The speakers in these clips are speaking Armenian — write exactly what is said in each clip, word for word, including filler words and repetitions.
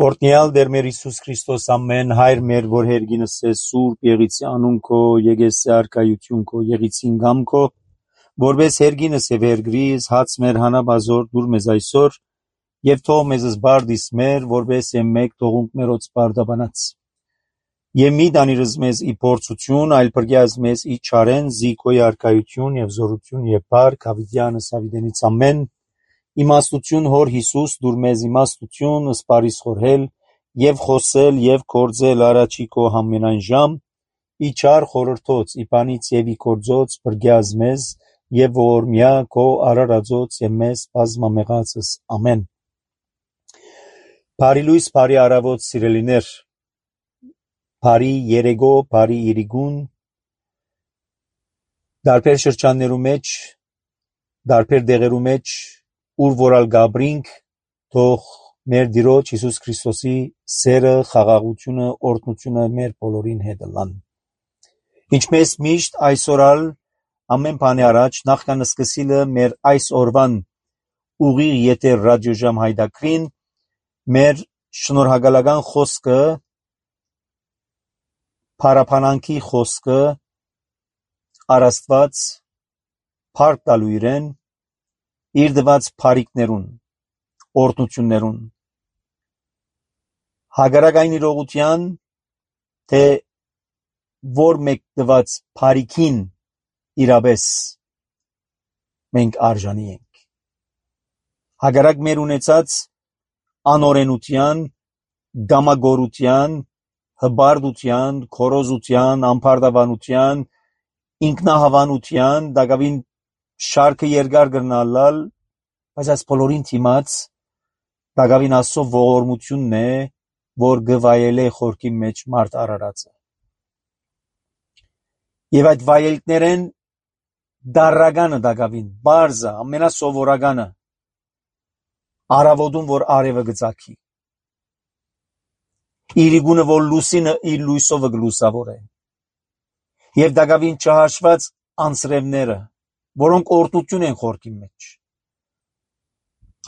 Օրհնյալ Տեր մեր Հիսուս Քրիստոս ամեն հայր մեր որ հերգինս է սուրբ եղիցի անուն քո եկեսի արքայություն քո եղիցին գամ քո որպես հերգինս է վերգրիս հաց մեր հանաբազոր դուր մեզ այսօր եւ թող մեզ զբարդիս մեր որպես մեկ թողունք մերոց բարդաբանած եւ մի դանիրս մեզ ի փորձություն այլ բրգյազ մեզ ի չարեն զիքոյ արքայություն եւ զորություն եւ բարք հավիտյանս հավիտենից ամեն իմաստություն հոր Հիսուս դուր մեզ իմաստություն սպարիս խորհել եւ խոսել եւ կործել առաջի քո համենայն ժամ ի չար խորհրդոց ի բանից եւ ի կործոց բրգյազ մեզ եւ որմյա քո արարածոց եւ մեզ բազմամեղածս ամեն Բարի լույս բարի արավոտ սիրելիներ բարի երեգո բարի իրիգուն դարբեր շրջաններու մեջ դարբեր դեղերու մեջ ուր որալ գաբրինք թող մեր Տիրոջ Հիսուս Քրիստոսի սերը խաղաղությունը օրհնությունը մեր բոլորին հետ լան ինչպես միշտ այսօրալ ամեն բանի առաջ նախքան սկսիլը մեր այս օրվան ուղիղ եթեր ռադիոժամ հայդակրին մեր շնորհակալական խոսքը փարապանանքի խոսքը արաստված փառք տալու իրեն իր դված փարիկներուն օրհնություններուն հագարակային իրողության թե որ մեկ դված փարիկին իրապես մենք արժանի ենք հագարակ մեր ունեցած անօրենության գամագորության հբարդության քորոզության ամբարտավանության ինքնահավանության դակավին շարքը երկար գրնալալ բայց այս բոլորին թիմած դակավին ասո ողորմությունն է որ գվայել է խորքի մեջ մարդ արարածը եւ այդ վայելքներեն դարրագանը դակավին բարձը ամենասովորականը արավոդուն որ արևը գծակի իրիգունը որ լուսինը իր լույսովը գլուսավոր է եւ դակավին չհաշված անձրևները որոնք օրհնություն են խորքի մեջ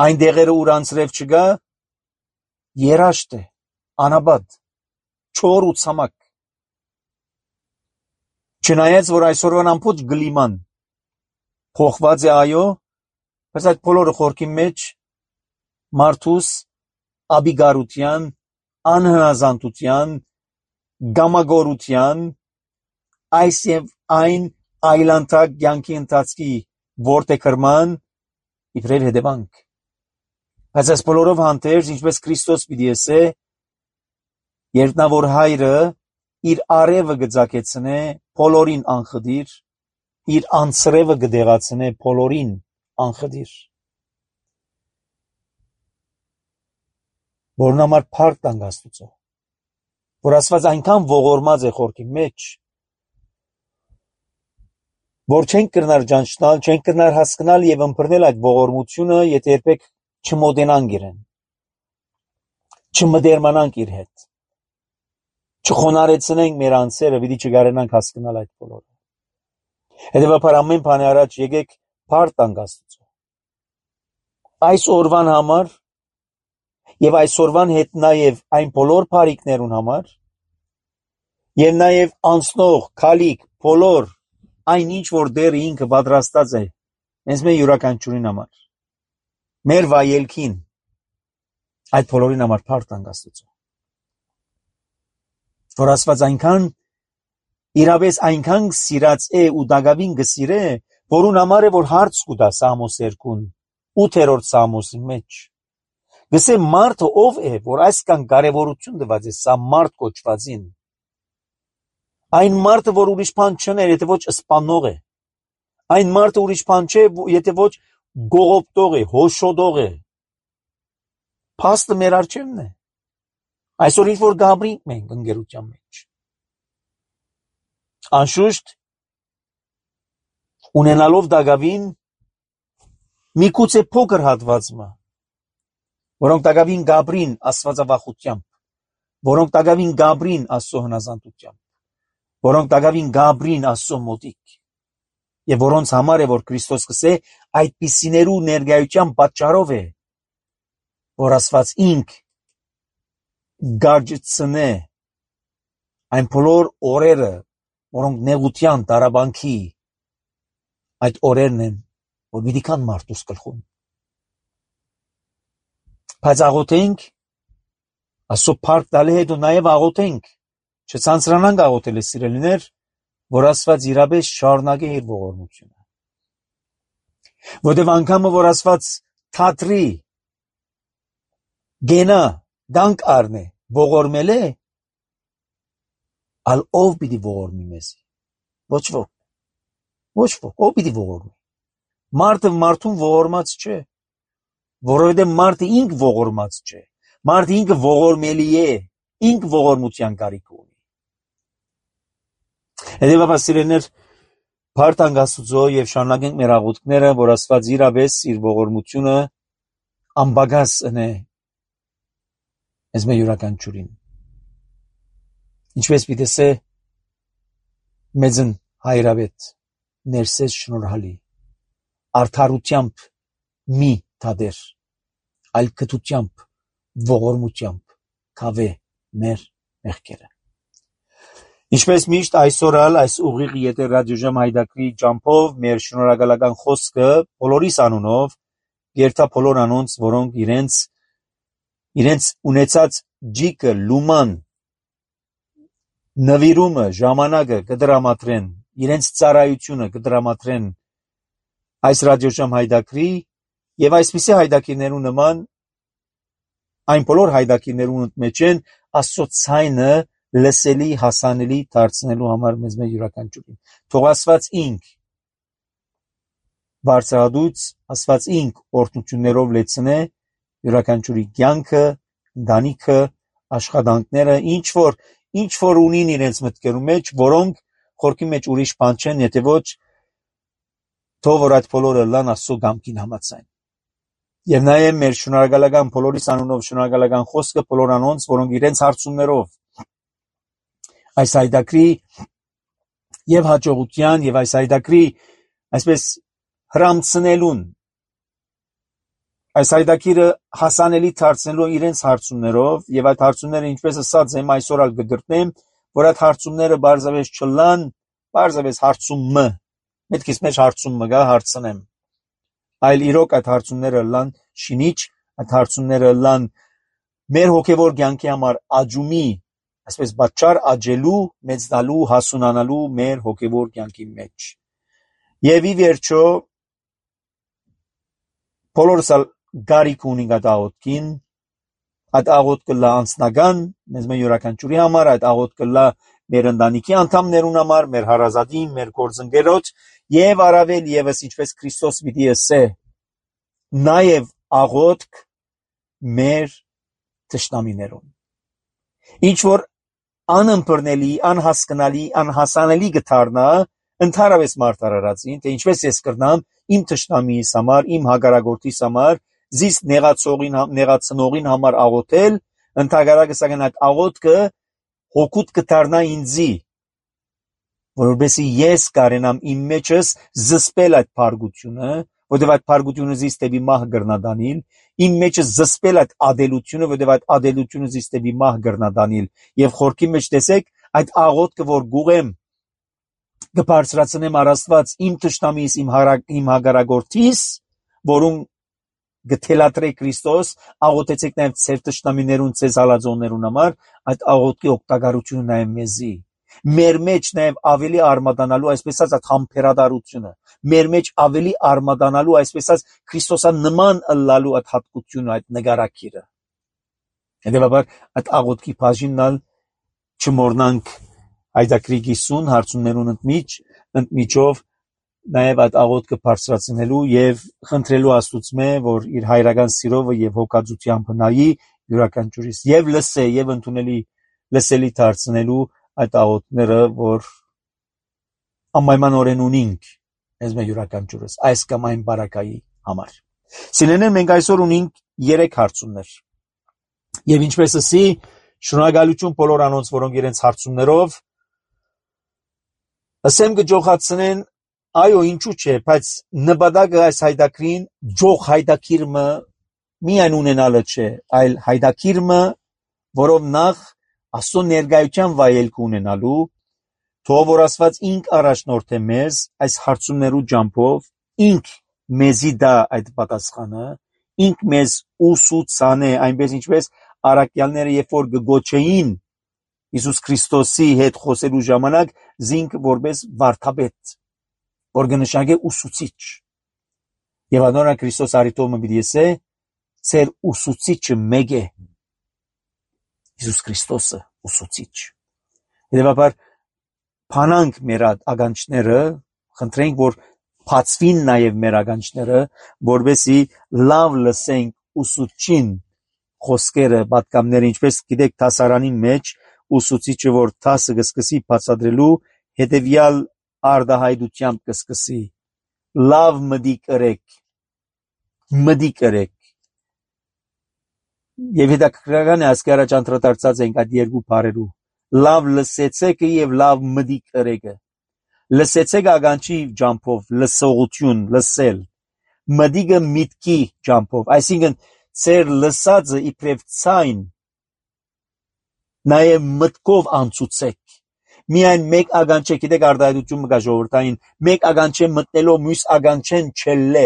այն դեղերը ուր անձրև չկա երաշտ է անաբադ չոր ու ցամաք չնայած որ այսօրվան ամբողջ գլիման փոխված է այո բայց այդ բոլորը խորքի մեջ մարդուս աբիգարության անհնազանդության գամագորության այս եւ այն այլանդակ յանքի ընթացքի որտե կրման իբրև հետևանք բայց այս բոլորով հանդերձ ինչպես Քրիստոս պիտի ասե երբ նա որ հայրը իր արևը գծակեցնե բոլորին անխդիր իր անձրևը գդեղացնե բոլորին անխդիր որն համար փառք տանք Աստծո որ Աստված այնքան ողորմած է խորքի մեջ որ չենք կրնար ճանչնալ, չենք կրնար հասկանալ եւ ըմբռնել այդ ողորմությունը, եթե երբեք չմոտենանք իրեն, չմդերմանանք իր հետ, չխոնարեցնենք մեր անձերը, պիտի չկարենանք հասկանալ այդ բոլորը։ Հետևաբար ամեն բանի առաջ եկեք փառք տանք Աստծո։ Այս օրվան համար եւ այս օրվան հետ նաեւ այն բոլոր բարիքներուն համար եւ նաեւ անցնող քալիք բոլոր այն ինչ որ դեռ ինքը պատրաստած է հենց մեր յուրաքանչյուրին համար մեր վայելքին այդ բոլորին համար փառք տանք Աստծո որ Աստված այնքան իրապես այնքան սիրած է ու դակավին գսիրե որուն համար է որ հարց կուտա Սամոս երկուն ութերորդ Սամոսի մեջ գսե մարդը ով է որ այսքան կարևորություն տված է սա մարդ կոչվածին Այն մարդը, որ ուրիշ բան չներ, եթե ոչ սպանող է, այն մարդը ուրիշ բան չէ, եթե ոչ գողոպտող է, հոշոտող է, փաստը մեր առջևն է, այսօր ինչ որ գաբրինք մենք ընկերության մեջ, անշուշտ, ունենալով դակավին, միգուցե փոքր հատվածը, որոնք դակավին գաբրին աստվածավախությամբ, որոնք դակավին գաբրին Աստծո հնազանդությամբ, որոնք դակավին գաբրին Աստծո մոտիկ եւ որոնց համար է որ Քրիստոս կսե այդպիսիներու ներկայության պատճառով է որ Աստված ինք գարջցնե այն բոլոր օրերը, որոնք նեղության, տարաբանքի այդ օրերն են, որ պիտի կան մարդուս գլխում։ Բայց աղոթենք, Աստծո փառք տալի հետ ու նաև աղոթենք, չցանցրանանք աղոթել սիրելիներ, որ Աստված իրապես շարունակի իր ողորմությունը։ Որտև անգամը, որ Աստված թատրի, գենա, դանք առնե, ողորմել է, ալ ով պիտի ողորմի մեզի։ Ոչ ոք, ոչ ոք, ով պիտի ողորմի։ Մարդը մարդուն ողորմած չէ, որովհետև մարդը ինք ողորմած չէ, մարդը ինքը ողորմելի է, ինք ողորմության կարիք ունի։ Հետևաբար սիրելիներ, փառք Աստծո եւ շարունակենք մեր աղոթքները, որ Աստված իրապես իր ողորմությունը անբագաս ընե մեզ մեր յուրաքանչյուրին։ Ինչպես պիտի ասե մեծն հայրավետ, ներսես շնորհալի, արդարությամբ մի թադեր, այլ կտությամբ, ողորմությամբ կավե մեր մեղքերը։ Ինչպես միշտ այսօր ալ այս ուղիղ եթե ռադիոժամ հայդակրի ջամփով մեր շնորհակալական խոսքը բոլորիս անունով երթա բոլոր անոնց, որոնք իրենց իրենց ունեցած ջիկը, լուման, նվիրումը, ժամանակը կդրամատրեն, իրենց ծառայությունը կդրամատրեն այս ռադիոժամ հայդակրի եւ այսպիսի հայդակիրներու նման այն բոլոր հայդակիրներու մեջ են Աստծո ցայնը լսելի, հասանելի դարձնելու համար մեզ մեր յուրաքանչյուրին։ Թող Աստված ինք բարձրադուց, Աստված ինք օրհնություններով լեցնե յուրաքանչյուրի կյանքը, ընտանիքը, աշխատանքները, ինչ որ ինչ որ ունին իրենց մտքերու մեջ, որոնք խորքի մեջ ուրիշ բան չեն, եթե ոչ թող որ այդ բոլորը լան Աստծո կամքին համաձայն։ Եվ նաև մեր շնորհակալական բոլորիս անունով շնորհակալական խոսքը բոլոր անոնց, որոնք իրենց հարցումներով այս հայդակրի եւ հաջողության եւ այս հայդակրի այսպես հրամցնելուն այս հայդակիրը հասանելի դարձնելու իրենց հարցումներով եւ այդ հարցումները ինչպես ասած եմ այսօր ալ կգրտնեմ, որ այդ հարցումները բարձավես չլան, բարձավես հարցումը, մտքիս մեջ հարցումը գա հարցնեմ, այլ իրոք այդ հարցումները լան շինիչ, այդ հարցումները լան մեր հոգեվոր կյանքի համար աջումի, այսպես բաճար աջելու, մեծնալու, հասունանալու մեր հոգեվոր կյանքի մեջ։ Եվ ի վերջո բոլորս գարիք ունենք այդ աղոթքին, այդ աղոթքը լա անձնական, մեզ մեր յուրաքանչյուրի համար, այդ աղոթքը լա մեր ընտանիքի անդամներուն համար, մեր հարազատի, մեր գործընկերոջ եւ առավել եւս ինչպես Քրիստոս պիտի ասե, նաեւ աղոթք մեր թշնամիներուն։ Ինչ որ անըմբռնելի, անհասկանալի, անհասանելի կդառնա ընդհանրապես մարդարարածին, թե ինչպես ես կրնամ իմ թշնամիիս համար, իմ հագարագործիս համար, զիս նեղացողին, նեղացնողին համար աղոթել, ընդհանրապես սակայն այդ աղոթքը հոգուտ կդառնա ինձի, որովհետեւ ես կարենամ իմ մեջս զսպել այդ փարգությունը, որովհետեւ այդ փարգությունը զիս դեպի մահ գրնադանիլ, իմ մեջս զսպել այդ ադելությունը, որովհետեւ այդ ադելությունը զիս դեպի մահ գրնադանիլ, եւ խորքի մեջ տեսեք այդ աղոթքը, որ գուղեմ կբարձրացնեմ առ Աստված իմ թշնամիս, իմ իմ հագարագործիս, որում գթելատրե Քրիստոս, աղոթեցեք նաև ձեր թշնամիներուն, ձեզ հալածողներուն համար, այդ աղոթքի օգտակարությունը նաև մեզի։ Մեր մեջ նաև ավելի արմատանալու, այսպես ասած, համբերատարությունը, մեր մեջ ավելի արմատանալու, այսպես ասած, Քրիստոսան նման ըլլալու այդ հատկությունը, այդ նկարակիրը։ Հետևաբար այդ աղոթքի բաժինն չմոռնանք հայդակրի գիսուն հարցումներուն ընդմիջ, ընդմիջով նաև այդ աղոթքը բարձրացնելու եւ խնդրելու Աստուծմե, որ իր հայրական սիրով եւ հոգածությամբ նայի յուրաքանչյուրիս եւ լսե եւ ընդունելի լսելի դարձնելու այդ աղոթները, որ անպայման ունենք մեզ մեր յուրաքանչյուրս այս կամ այն բարակայի համար։ Սիրելիներ, մենք այսօր ունենք երեք հարցումներ։ Եվ ինչպես ասի, շնորհակալություն բոլոր անոնց, որոնք իրենց հարցումներով ասեմ կջոխացնեն, այո, ինչու՞ չէ, բայց նպատակը այս հայդակրին ջող հայդակիրը միայն ունենալը չէ, այլ հայդակիրը որով նախ Աստծո ներկայության վայելք ունենալու, թող որ Աստված ինք առաջնորդե մեզ այս հարցումներու ջամփով, ինք մեզի դա այդ պատասխանը, ինք մեզ ուսուցանե, այնպես ինչպես առաքյալները երբ որ գոչեին Հիսուս Քրիստոսի հետ խոսելու ժամանակ զինք որպես վարդապետ, որ կնշանակե ուսուցիչ։ Եվ անորը Քրիստոս արիտոմը պիտի ասե, ծեր ուսուցիչը մեկ է, Հիսուս Քրիստոսը ուսուցիչ։ Հետևաբար փանանք մեր ականջները, խնդրենք, որ բացվին նաև մեր ականջները, որովհետեւ լավ լսենք ուսուցչին խոսքերը, պատգամները, ինչպես գիտեք դասարանի մեջ ուսուցիչը որ դասը կսկսի բացատրելու, հետևյալ արդահայտությամբ կսկսի. լավ մտիկ կրեք, մտիկ կրեք։ Եվ հետաքրքրական է, ասկի առաջ անդրադարձած ենք այդ երկու բառերու, լավ լսեցեք եւ լավ մտիկ կրեք։ Լսեցեք ականջի ջամփով, լսողություն, լսել, մտիկը միտքի ջամփով, այսինքն ծեր լսածը իբրև ցայն նաև մտքով անցուցեք։ Միայն մեկ ականջ է, գիտեք արդահայտությունը կա ժողովրդային, մեկ ականջ է մտնելով մյուս ականջեն չելլե,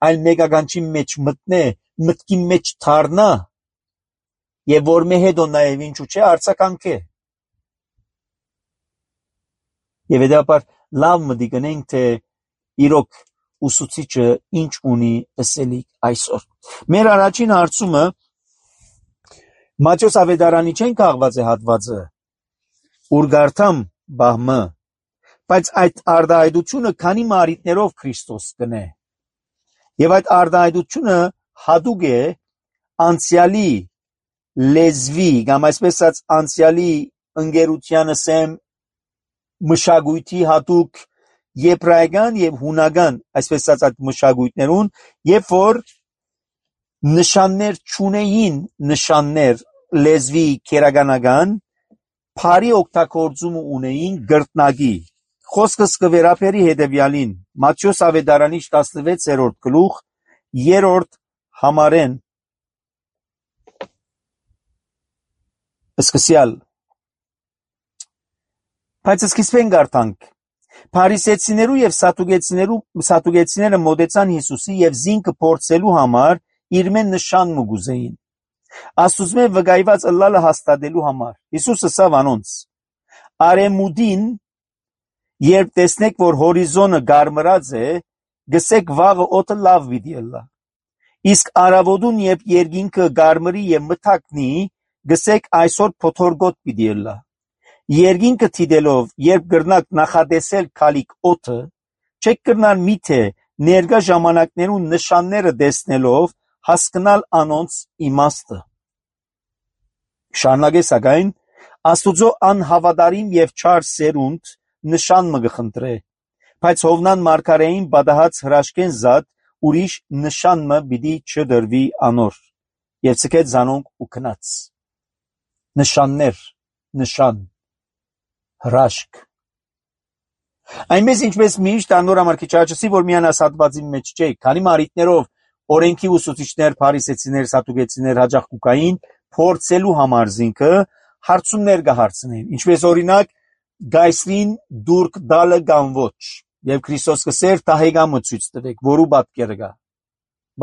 այլ մեկ ականջի մեջ մտնե, մտքի մեջ թարնա, եւ որ մե հետո նաև ինչու չէ արցականք է։ Եվ հետապար լավ մտիկ ունենք, թե իրոք ուսուցիչը ինչ ունի ասելիք այսօր։ Մեր առաջին հարցումը Մատթեոս ավետարանի չեն քաղված է հատվածը, ուր գարտամ բահմը, բայց այդ արդահայտությունը քանի մարիտներով Քրիստոս կնե։ Եվ այդ արդահայտությունը հատուկ է անցյալի լեզվի, կամ այսպես ասած անցյալի ընկերությանը սեմ մշակույթի հատուկ եբրայական եւ հունական, այսպես ասած այդ մշակույթներուն, երբ որ նշաններ չունեին, նշաններ լեզվի քերականական, փարի օգտագործումը ունեին գրտնակի։ Խոսքս կվերապերի հետևյալին, Մատթեոս ավետարանի տասնվեցերորդ գլուխ, երրորդ համարեն, սկսյալ։ Բայց սկիզբեն գարտանք, փարիսեցիներու եւ սատուկեցիներու սատուկեցիները մոտեցան Հիսուսի եւ զինքը փորձելու համար իր մեն նշան մուգուզեին։ Աստուծմե վկայված ըլլալը հաստատելու համար։ Հիսուսը ասավ անոնց. Արեմուդին, երբ տեսնեք, որ հորիզոնը գարմրած է, գսեք վաղը օդը լավ պիտի ըլլա։ Իսկ արավոտուն, երբ երկինքը գարմրի եւ մթակնի, գսեք այսօր փոթորգոտ պիտի ըլլա։ Երկինքը թիդելով, երբ գրնակ նախադեսել քալիք օդը, չեք կրնալ միթե ներկա ժամանակներուն նշանները տեսնելով հասկանալ անոնց իմաստը։ Շարունակե սակայն Աստուծո անհավատարիմ եւ չար սերունդ նշան մը գխնդրե, բայց Հովնան մարգարեին բադահած հրաշքեն զատ ուրիշ նշան մը պիտի չդրվի անոր։ Եվ ցկեց զանոնք ու քնած։ Նշաններ, նշան, հրաշք։ Այնպես ինչպես միշտ անոր համար քիչ աճեցի, որ միան ասատվածի մեջ չէ, քանի մարիտներով օրենքի ուսուցիչներ, փարիսեցիներ, սատուկեցիներ հաջող կուկային փորձելու համար զինքը հարցումներ կհարցնեն, ինչպես օրինակ գայսրին դուրք դալը կամ ոչ, եւ Քրիստոս կսեր տահեգամը ցույց տվեք, որու պատկերը կա։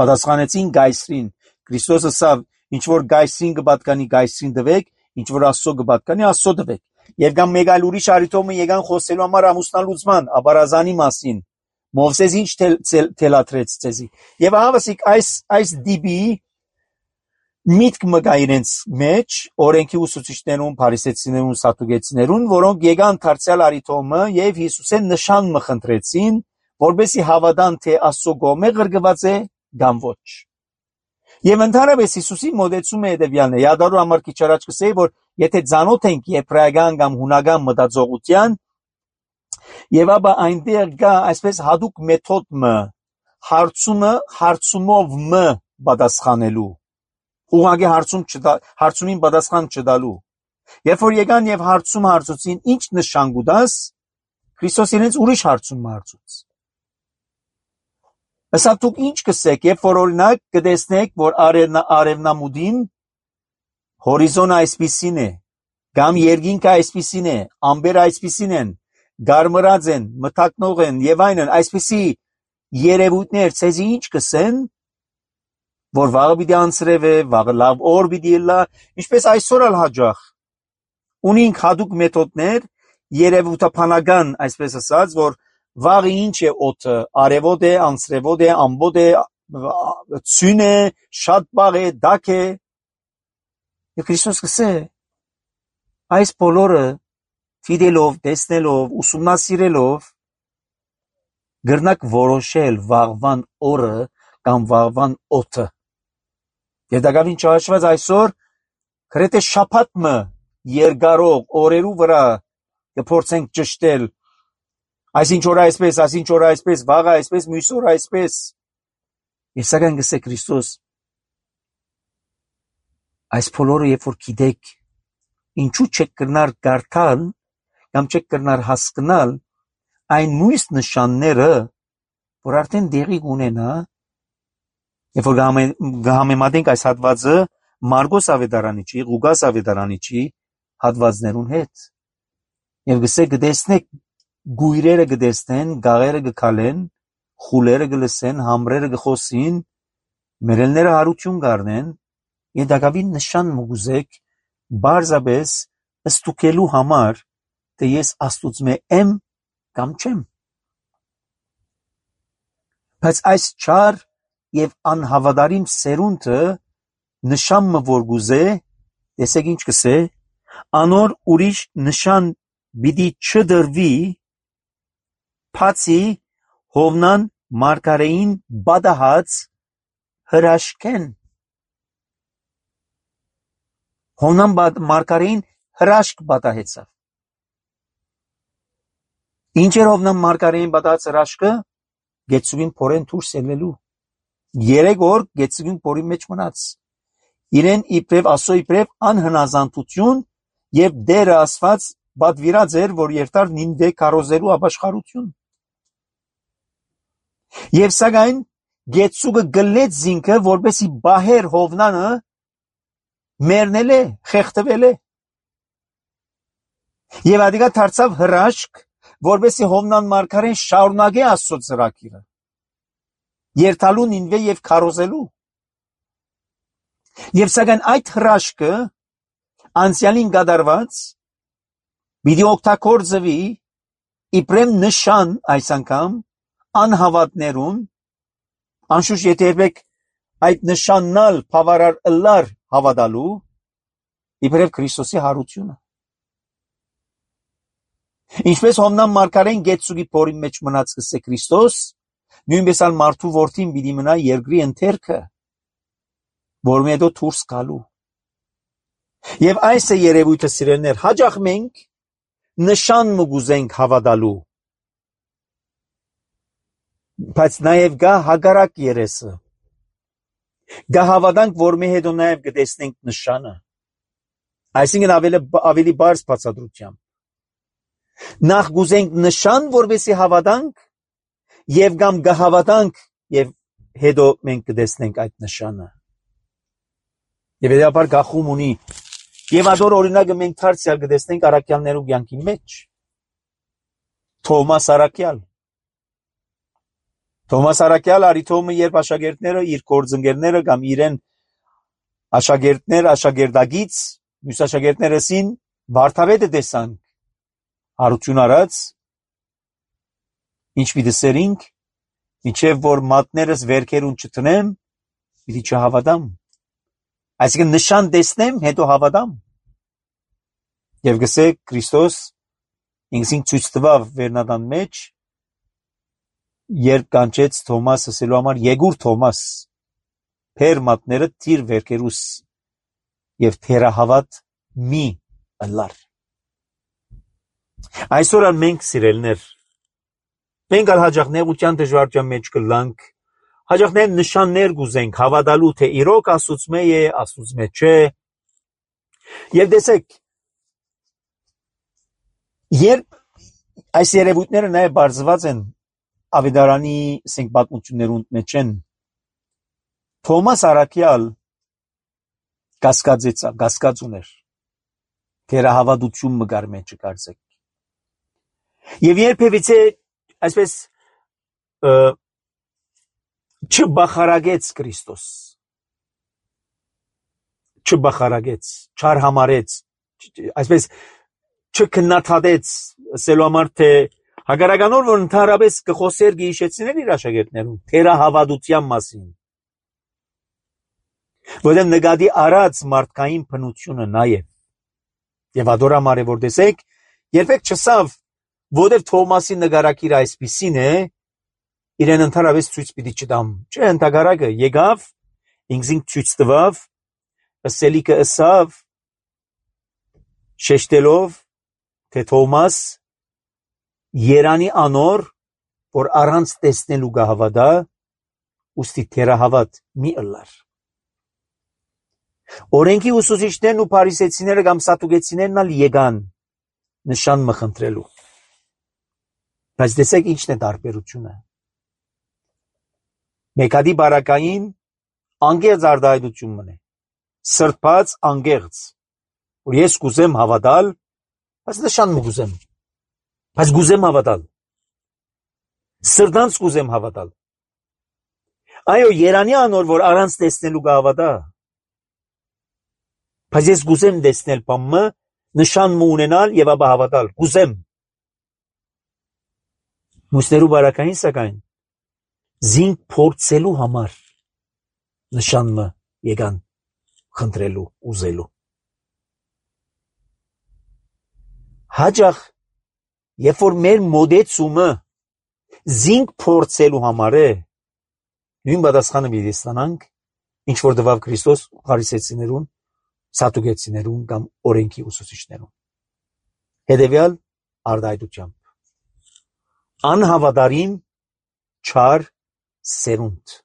Պատասխանեցին գայսրին, Քրիստոսը ասավ, ինչ որ գայսրին կպատկանի գայսրին տվեք, ինչ որ Աստծո կպատկանի Աստծո տվեք։ Եվ կամ մեկ այլ ուրիշ արիտոմը եկան խոսելու համար ամուսնալուծման, աբարազանի մասին։ Մովսես ինչ թելաթրեց ցեզի։ Եվ ահավասիկ այս այս դիբի միտք մը կա իրենց մեջ, օրենքի ուսուցիչներուն, փարիսեցիներուն, սատուկեցիներուն, որոնք եկան դարձյալ արիտոմը եւ Հիսուսեն նշան մը խնդրեցին, որբեսի հավատան թե Աստծո կողմէ ղրկված է կամ ոչ։ Եվ ընդհանրապես Հիսուսի մոդեցումը հետևյալն է։ Յադարու համար քիչ առաջ կսեի, որ եթե ցանոթ ենք եբրայական կամ հունական մտածողության, եւ ապա այնտեղ կա այսպես հadoop մեթոդ մը, հարցումը հարցումով մը պատասխանելու, ուղղակի հարցում չտա, հարցումին պատասխան չտալու։ Երբ որ եկան եւ հարցում հարցուցին, ինչ նշան կուտաս, Քրիստոս իրենց ուրիշ հարցում հարցուց։ Ասա դուք ինչ կսեք, երբ որ օրինակ կտեսնեք, որ արևնա արևնամուդին հորիզոնը այսպիսին է, կամ երկինքը այսպիսին է, ամբերը այսպիսին են, գարմրած են, մթակնող են եւ այնն, այսպիսի երևույթներ ցեզի ինչ կսեն, որ վաղը պիտի անցրև է, վաղը լավ օր պիտի լա, ինչպես այսօր ալ հաջող ունենք հadoop մեթոդներ, երևութափանական, այսպես ասած, որ վաղը ինչ է օդը, արևոտ է, անցրևոտ է, ամբոտ է, ցույն է, շատ բաղ է, դակ է, եւ Քրիստոս կսե, այս բոլորը ֆիդելով, տեսնելով, ուսումնասիրելով, գրնակ որոշել վաղվան օրը կամ վաղվան օդը։ Եվ դակավին չհաշված այսօր, գրեթե շաբաթը երկարող օրերու վրա կփորձենք ճշտել, այսինչ օր այսպես, այսինչ օր այսպես, վաղը այսպես, մյուս օր այսպես։ Եվ սակայն գսե Քրիստոս, այս բոլորը երբ որ գիտեք, ինչու չեք կրնար գարթալ կամ չեք կրնար հասկանալ այն նույն նշանները, որ արդեն դեղի ունենա, երբ որ գհամեմատենք այս հատվածը Մարգոս ավետարանիչի, Ղուկաս ավետարանիչի հատվածներուն հետ։ Եվ գսե գտեսնեք գույրերը գտեսնեն, գաղերը գքալեն, խուլերը գլսեն, համրերը գխոսին, մերելները հարություն գարնեն, եւ դակավին նշան մուգուզեք բարձաբես ստուկելու համար, թե ես Աստուծմե եմ կամ չեմ։ Բայց այս չար եւ անհավատարիմ սերունդը նշանը որ գուզե, տեսեք ինչ կսե, անոր ուրիշ նշան պիտի չդրվի, բացի Հովնան մարգարեին բադահած հրաշքեն։ Հովնան մարգարեին հրաշք բադահեցավ։ Ինչ էր Հովնան մարգարեին բադահած հրաշքը, գեցուգին փորեն դուրս ելնելու։ Երեք օր գեցուգին փորի մեջ մնաց։ Իրեն իբրև ասո իբրև անհնազանդություն եւ դերը ասված բադվիրած էր, որ երթար նինվե կարոզելու ապաշխարություն։ Եվ սակայն գեցուգը գլեց զինքը, որպեսի բահեր Հովնանը մերնել է, խեղդվել է։ Եվ ադիգա դարձավ հրաշք, որպեսի Հովնան մարգարեն շարունակե Աստծո ծրագիրը, երթալու նինվե եւ քարոզելու։ Եվ սակայն այդ հրաշքը անցյալին կատարված պիտի օգտագործվի իբրեմ նշան այս անգամ անհավատներուն, անշուշտ եթե երբեք այդ նշաննալ բավարար ըլլար հավատալու, իբրև Քրիստոսի հարությունը։ Ինչպես Հովնան մարգարեն գեցուգի փորի մեջ մնաց կսե Քրիստոս, նույնպես ալ մարդու որդին պիտի մնա երկրի ընթերքը, որ հետո դուրս գալու։ Եվ այս է երևույթը սիրելներ, հաջող մենք նշան մգուզենք հավատալու, բայց նաև գա հագարակ երեսը, գա հավատանք, որ մի հետո նաև գտեսնենք նշանը, այսինքն ավելի, ավելի բարձ բացատրությամբ, նախ գուզենք նշան, որպեսի հավատանք, եւ կամ գա հավատանք, եւ հետո մենք գտեսնենք այդ նշանը։ Եվ հետապար գախում ունի, եւ ադոր օրինակը մենք դարձյալ գտեսնենք առաքյալներու կյանքի մեջ, Թոմաս առաքյալ, Թոմաս առաքյալ արիթոմը երբ աշակերտները իր գործընկերները կամ իրեն աշակերտներ աշակերտագից մյուս աշակերտներըսին Վարդավետը տեսանք հարություն արած ինչ պիտի սերինք մինչև որ մատներս վերքերուն չտնեմ պիտի չհավատամ, այսինքն նշան տեսնեմ հետո հավատամ։ Եվ գսե Քրիստոս ինքսին ցույց տվավ վերնադան մեջ, երբ կանչեց Թոմաս ասելու համար եկուր Թոմաս, փեր մատները թիր վերքերուս եւ թերահավատ մի ըլլար։ Այսօր ալ մենք սիրելներ, մենք ալ հաջող նեղության դժվարության մեջ կլանք, հաջողներ նշաններ գուզենք հավատալու, թե իրոք Աստուծմե է, Աստուծմե չէ։ Եվ տեսեք, երբ այս երևույթները նաև բարձված են Ավետարանի սենք պատմություններուն մեջ են, Թոմաս առաքյալ կասկածեցա, կասկած ուներ, թերահավատություն մգար մեջ կարծեք։ Եվ երբևիցե այսպես չբախարագեց Քրիստոս, չբախարագեց, չարհամարեց, այսպես չքննադատեց, ասելու համար թե հակառականոր որ ընդհանրապես կխոսեր գիշեցիներ իր աշակերտներուն թերահավատության մասին, որտեղ նկատի առած մարդկային բնությունը նա է։ Եվ ադորամար է որ տեսեք, երբեք չսավ, որտեղ Թոմասի նկարակիրը այսպիսին է, իրեն ընդհանրապես ցույց պիտի չտամ։ Չէ, ընդհակառակը եկավ, ինքզինք ցույց տվավ, ըսելիքը ըսավ, շեշտելով, թե Թոմաս Երանի անոր, որ առանց տեսնելու կհավատա, ուստի թերահավատ մի ըլլար։ Օրենքի ուսուցիչներն ու փարիսեցիները կամ սատուկեցիներն ալ եկան նշան մխնդրելու։ Բայց տեսեք ինչն է տարբերությունը։ Մեկադի բարակային անգեղծ արտահայտություն մնե, սրբած անգեղծ, որ ես կուզեմ հավատալ, բայց նշան մգուզեմ, բայց գուզեմ հավատալ, սրտանց կուզեմ հավատալ։ Այո, Երանի անոր, որ առանց տեսնելու կհավատա, բայց ես գուզեմ տեսնել բամը, նշան մը ունենալ եւ ապա հավատալ, գուզեմ։ Մուսներու բարակային սակայն զինք փորձելու համար նշան մը եկան խնդրելու, ուզելու։ Հաջախ, երբ որ մեր մոդեցումը զինք փորձելու համար է, նույն պատասխանը պիտի ստանանք, ինչ որ տվավ Քրիստոս փարիսեցիներուն, սատուկեցիներուն կամ օրենքի ուսուցիչներուն։ Հետևյալ արտահայտությամբ։ Անհավատարիմ չար սերունդ։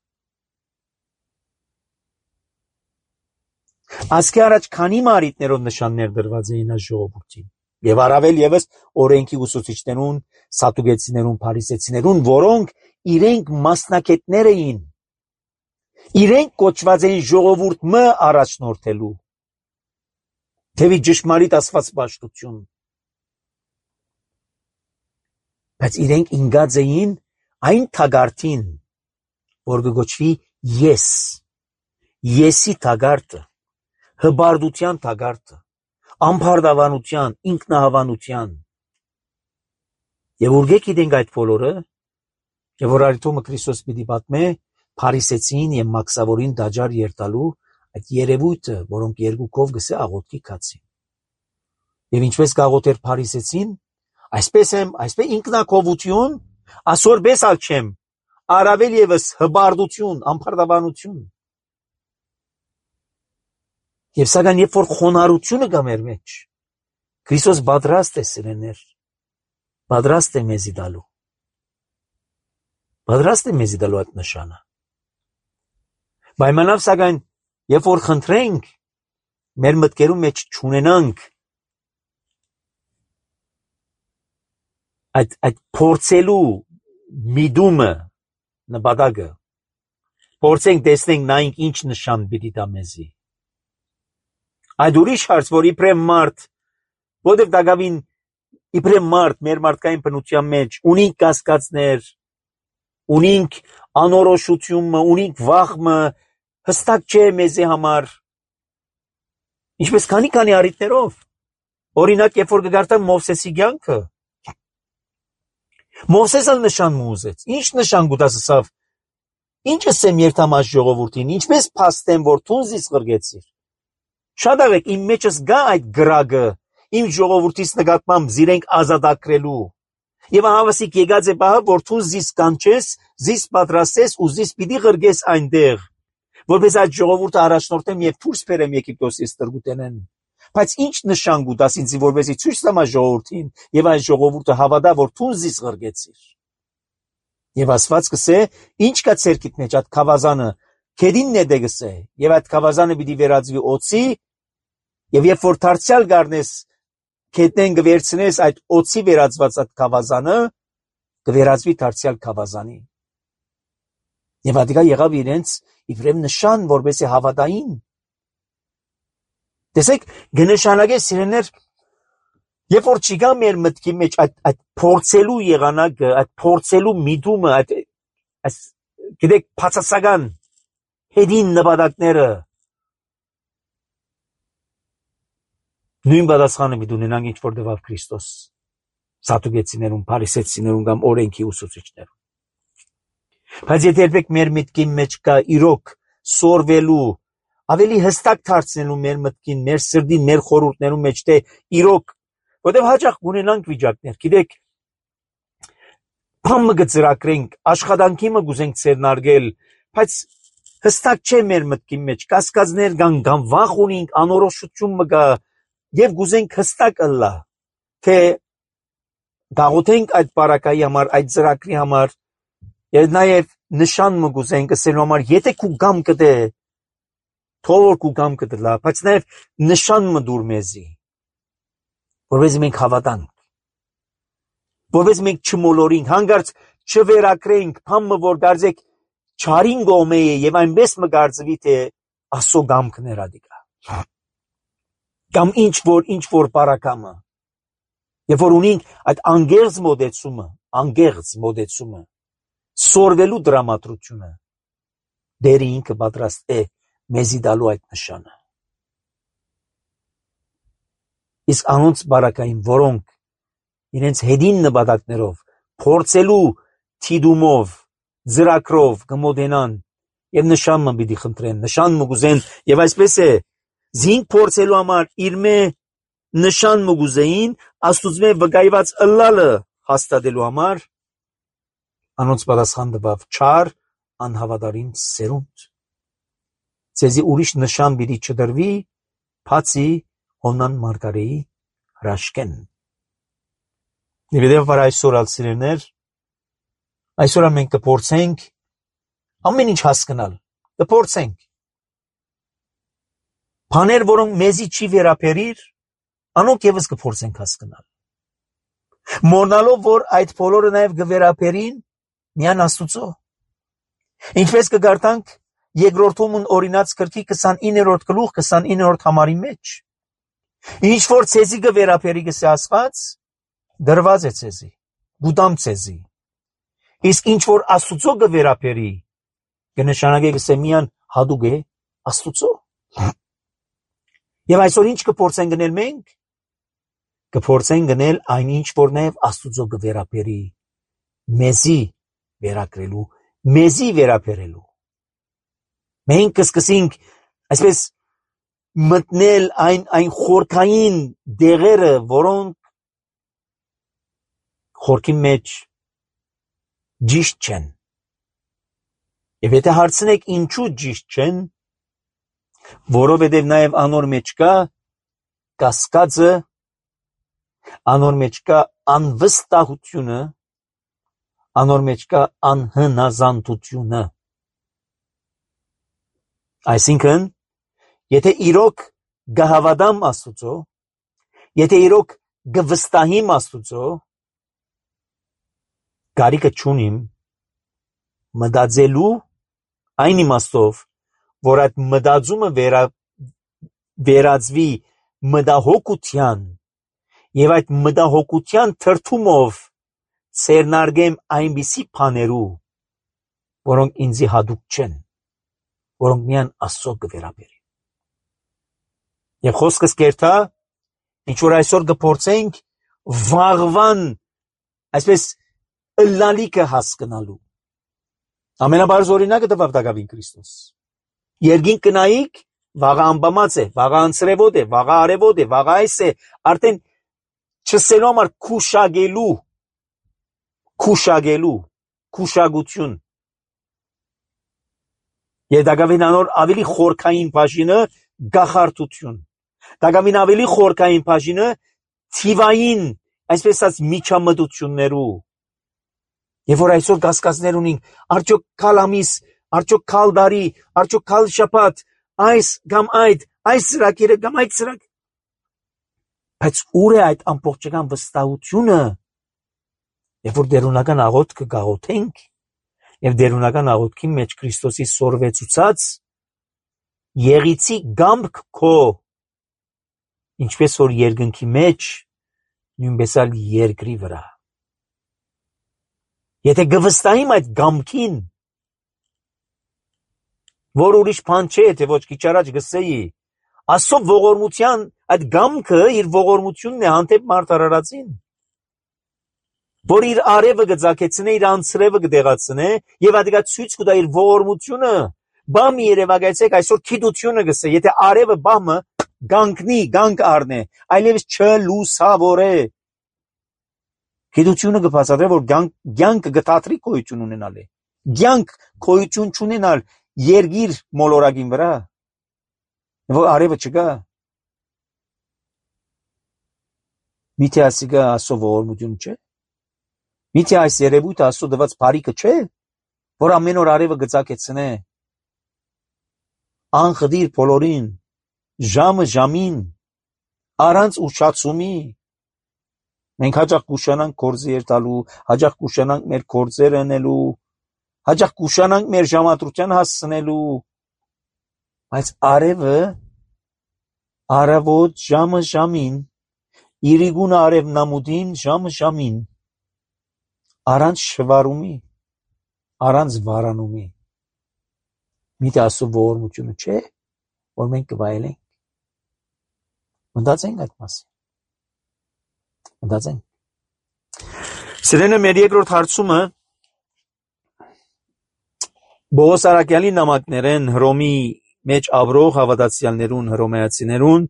Ասկի առաջ քանի մարիտներով նշաններ դրված էին այս ժողովրդին, եւ առավել եւս օրենքի ուսուցիչներուն, սատուկեցիներուն, փարիսեցիներուն, որոնք իրենք մասնակետներ էին, իրենք կոչված էին ժողովուրդ մը առաջնորդելու, թեւի ճշմարիտ աստվածպաշտություն, բայց իրենք ինգած էին այն թագարտին, որ կգոչվի ես, եսի թագարտը, հբարդության թագարտը, ամփարդավանության, ինքնահավանության։ Եվ ուրգե գիտենք այդ բոլորը, եւ որ արիթոմը Քրիստոս պիտի պատմե փարիսեցին եւ մաքսավորին դաջար երտալու այդ երևույթը, որոնք երկուքով գսե աղոթքի կացին։ Եվ ինչպես կաղոթեր փարիսեցին, այսպես եմ, այսպես ինքնակովություն, ասորպես ալ չեմ, առավել եւս հբարդություն, ամփարդավանություն։ Եվ սակայն երբ որ խոնարհությունը կա մեր մեջ, Քրիստոս պատրաստ է սիրեներ, պատրաստ է մեզի դալու, պատրաստ է մեզի դալու այդ նշանը։ Պայմանավ սակայն երբ որ խնդրենք, մեր մտքերում մեջ չունենանք այդ այդ փորձելու միտումը նպատակը, փորձենք տեսնենք նայենք ինչ նշան պիտի տա մեզի։ Այդ ուրիշ հարց, որ իբրեմ մարդ, որտեղ դակավին իբրեմ մարդ մեր մարդկային բնության մեջ ունենք կասկածներ, ունենք անորոշությունը, ունենք վախը, հստակ չէ մեզի համար։ Ինչպես քանի-քանի առիթներով, օրինակ, երբ որ կգարտամ Մովսեսի կյանքը, Մովսեսը նշան մուզեց, ինչ նշան գուտասավ, ինչ ասեմ երթամաշ ժողովրդին, ինչպես փաստեմ, որ թունզից ղրգեցիր։ Շատ աղեք իմ մեջս գա այդ գրագը, իմ ժողովրդից նկատմամբ զիրենք ազատագրելու։ Եվ հավասիկ եկած է պահը, որ թուն զիս կանչես, զիս պատրաստես ու զիս պիտի ղրգես այնտեղ, որպես այդ ժողովուրդը առաջնորդեմ եւ դուրս բերեմ Եգիպտոսից տրգուտենեն։ Բայց ինչ նշան գուտաս ինձ որպեսի ցույց տամ այս ժողովրդին եւ այս ժողովուրդը հավատա, որ թուն զիս ղրգեցիր։ Եվ ասված կսե, ինչ կա ցերքիդ մեջ այդ քավազանը, քեդինն է դեգսե, եւ այդ քավազանը պիտի վերածվի օծի, եւ երբ որ դարձյալ գարնես քետնեն գվերցնես այդ օծի վերածված այդ քավազանը, գվերածվի դարձյալ քավազանի։ Եվ ադիգա եղավ իրենց իբրեմ նշան, որպեսի հավատային, Տեսեք, կնշանակե սիրելիներ, երբ որ չկա մեր մտքի մեջ այդ այդ փորձելու եղանակը, այդ փորձելու միտումը, այդ այս գիտեք փածասական հետին նպատակները նույն պատասխանը մի դունենանք ինչ որ դվավ Քրիստոս սատուկեցիներուն, փարիսեցիներուն կամ օրենքի ուսուցիչներուն։ Բայց եթե երբեք մեր մտքի մեջ կա իրոք սորվելու, ավելի հստակ դարձնելու մեր մտքին, մեր սրտին, մեր խորհուրդներում մեջ թե իրոք, որտեղ հաճախ ունենանք վիճակներ, գիտեք, բամը գծրակրենք, աշխատանքի մը գուզենք ցերնարգել, բայց հստակ չէ մեր մտքի մեջ, կասկածներ կան, կամ վախ ունենք, անորոշություն մը կա, եւ գուզենք հստակ ըլլա, թե գաղութենք այդ բարակայի համար, այդ ծրակրի համար, եւ նաեւ նշան մը գուզենք ասելու համար, եթե քու գամ կդե, թող քու գամ կդլա, բայց նաեւ նշան մը դուր մեզի, որովհետեւ մենք հավատանք, որովհետեւ մենք չմոլորենք, հանգարց չվերակրենք, բամը որ դարձեք չարին գոմե է եւ այնպես մը գարձվի թե ասո գամքներ ադիկա։ Կամ ինչ որ ինչ որ բարակամը։ Եվ որ ունենք այդ անգերձ մոդեցումը, անգերձ մոդեցումը, սորվելու դրամատրությունը, դերի ինքը պատրաստ է մեզի դալու այդ նշանը։ Իսկ անոնց բարակային, որոնք իրենց հետին նպատակներով, փորձելու թիդումով, ծրակրով կմոդենան եւ նշան մը պիտի խնդրեն, նշան մը գուզեն եւ այսպես է, զինք փորձելու համար իր մե նշան մը գուզեին, աստուծմե վկայված ըլլալը հաստատելու համար, անոնց պատասխան տվավ չար, անհավատարիմ սերունդ։ Ձեզի ուրիշ նշան պիտի չդրվի, բացի Հոնան Մարգարեի հրաշքեն։ Եվ դեպի այսօր ալսիրներ, այսօր մենք կփորձենք ամեն ինչ հասկանալ, կփորձենք։ Բաներ, որոնք մեզի չի վերապերիր, անոնք եւս կփորձենք հասկանալ։ Մոռնալով, որ այդ բոլորը նաեւ կվերապերին միան Աստուծո։ Ինչպես կգարտանք երկրորդումն օրինաց գրքի քսանիններորդ գլուխ քսանիններորդ համարի մեջ։ Ինչ որ ցեզի կվերապերի գսե Աստված, դրված է ցեզի, գուտամ ցեզի։ Իսկ ինչ որ Աստուծո կվերապերի, կնշանակե գսե միան հադուկ է Աստուծո։ Եվ այսօր ինչ կփորձենք գնել մենք, կփորձենք գնել այնինչ որ նաև Աստուծո կվերապերի, մեզի վերակրելու, մեզի վերապերելու։ Մենք կսկսենք այսպես մտնել այն այն խորքային դեղերը, որոնք խորքի մեջ ճիշտ չեն։ Եվ եթե հարցնեք ինչու ճիշտ չեն, որովհետև նաև անոր մեջ կա կասկածը, անոր մեջ կա անվստահությունը, անոր մեջ կա անհնազանդությունը։ Այսինքն, եթե իրոք գհավատամ Աստուծո, եթե իրոք գվստահիմ Աստուծո, գարիկը չունիմ մտածելու այն իմաստով, որ այդ մտածումը վերա, վերածվի մտահոգության եւ այդ մտահոգության թրթումով ցերնարգեմ այնպիսի բաներու, որոնք ինձի հադուկ չեն, որոնք միան Աստծո կվերապերի։ Եվ խոսքս կերտա, ինչ որ այսօր կփորձենք վաղվան, այսպես ըլլալիքը հասկանալու։ Ամենաբարձ օրինակը տվավ Դավիթ Քրիստոս։ Երգին կնայիք, վաղը անբամած է, վաղը անցրևոտ է, վաղը արևոտ է, վաղը այս է, արդեն չսելու համար քուշագելու, քուշագելու, քուշագություն։ Եվ Դավիթ անոր ավելի խորքային բաժինը գախարտություն։ Դավիթ ավելի խորքային բաժինը թիվային, այսպես ասած միջամտություններու։ Եվ որ այսօր կասկածներ ունենք, արդյոք քալ ամիս, արդյոք քալ դարի, արդյոք քալ շաբաթ, այս կամ այդ, այս ծրագիրը կամ այդ ծրագ։ Բայց ուր է այդ ամբողջական վստահությունը, երբ որ դերունական աղոթքը գաղոթենք, եւ դերունական աղոթքի մեջ Քրիստոսի սորվեցուցած եղիցի գամք քո ինչպես որ երկնքի մեջ, նույնպես էլ երկրի վրա։ Եթե գվստահիմ այդ գամքին, որ ուրիշ բան չէ, թե ոչ քիչ առաջ գսեի, Աստծո ողորմության այդ գամքը իր ողորմությունն է հանդեպ մարդարարածին, որ իր արևը գծակեցնե, իր անձրևը գդեղացնե եւ ադիգա ցույց կտա իր ողորմությունը։ Բամի երևակայեցեք այսօր քիդությունը գսե, եթե արևը բամը գանկնի, գանք առնե, այլևս չլուսավորե։ Քիդությունը կբացատրե, որ գանքը գտատրի կոյություն ունենալ է։ Գանք կոյություն չունենալ երգիր մոլորակին վրա, որ արևը չկա։ Միթե ասիգա Աստծո ողորմություն չէ։ Միթե այս երևույթը Աստծո դված բարիքը չէ, որ ամեն օր արևը գծակեցնե, անխդիր բոլորին, ժամը ժամին, առանց ուշացումի։ Մենք հաճախ կուշանանք գործի երթալու, հաճախ կուշանանք մեր գործերը անելու, հաճախ կուշանանք մեր ժամադրության հասցնելու, բայց արևը արավոտ ժամը ժամին, իրիգուն արևն ամուդին ժամը ժամին, առանց շվարումի, առանց վարանումի։ Միթե Աստծո ողորմությունը չէ, որ մենք կվայելենք։ Մտածենք այդ մասին։ Մտածենք։ Սիրելիներ, մեր երկրորդ հարցումը Բողոս Արաքյալի նամակներեն Հռոմի մեջ ապրող հավատացյալներուն, հռոմեացիներուն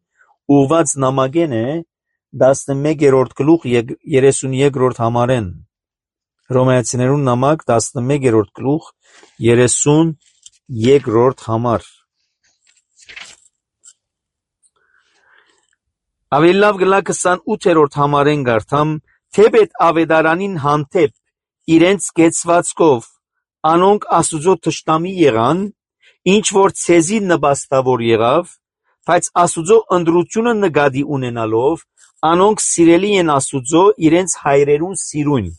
ուղված նամակեն է տասնմեկերորդ գլուխ երեսունյոթերորդ համարեն։ Հռոմեացիներուն նամակ տասնմեկերորդ գլուխ երեսունյոթերորդ համար։ Ավելի լավ գլա քսանութերորդ համարեն գարտամ, թեպետ ավետարանին հանդեպ իրենց կեցվածքով անոնք Աստուծո թշնամի եղան, ինչ որ ցեզի նպաստավոր եղավ, բայց Աստուծո ընդրությունը նկատի ունենալով անոնք սիրելի են Աստուծո իրենց հայրերուն սիրուն,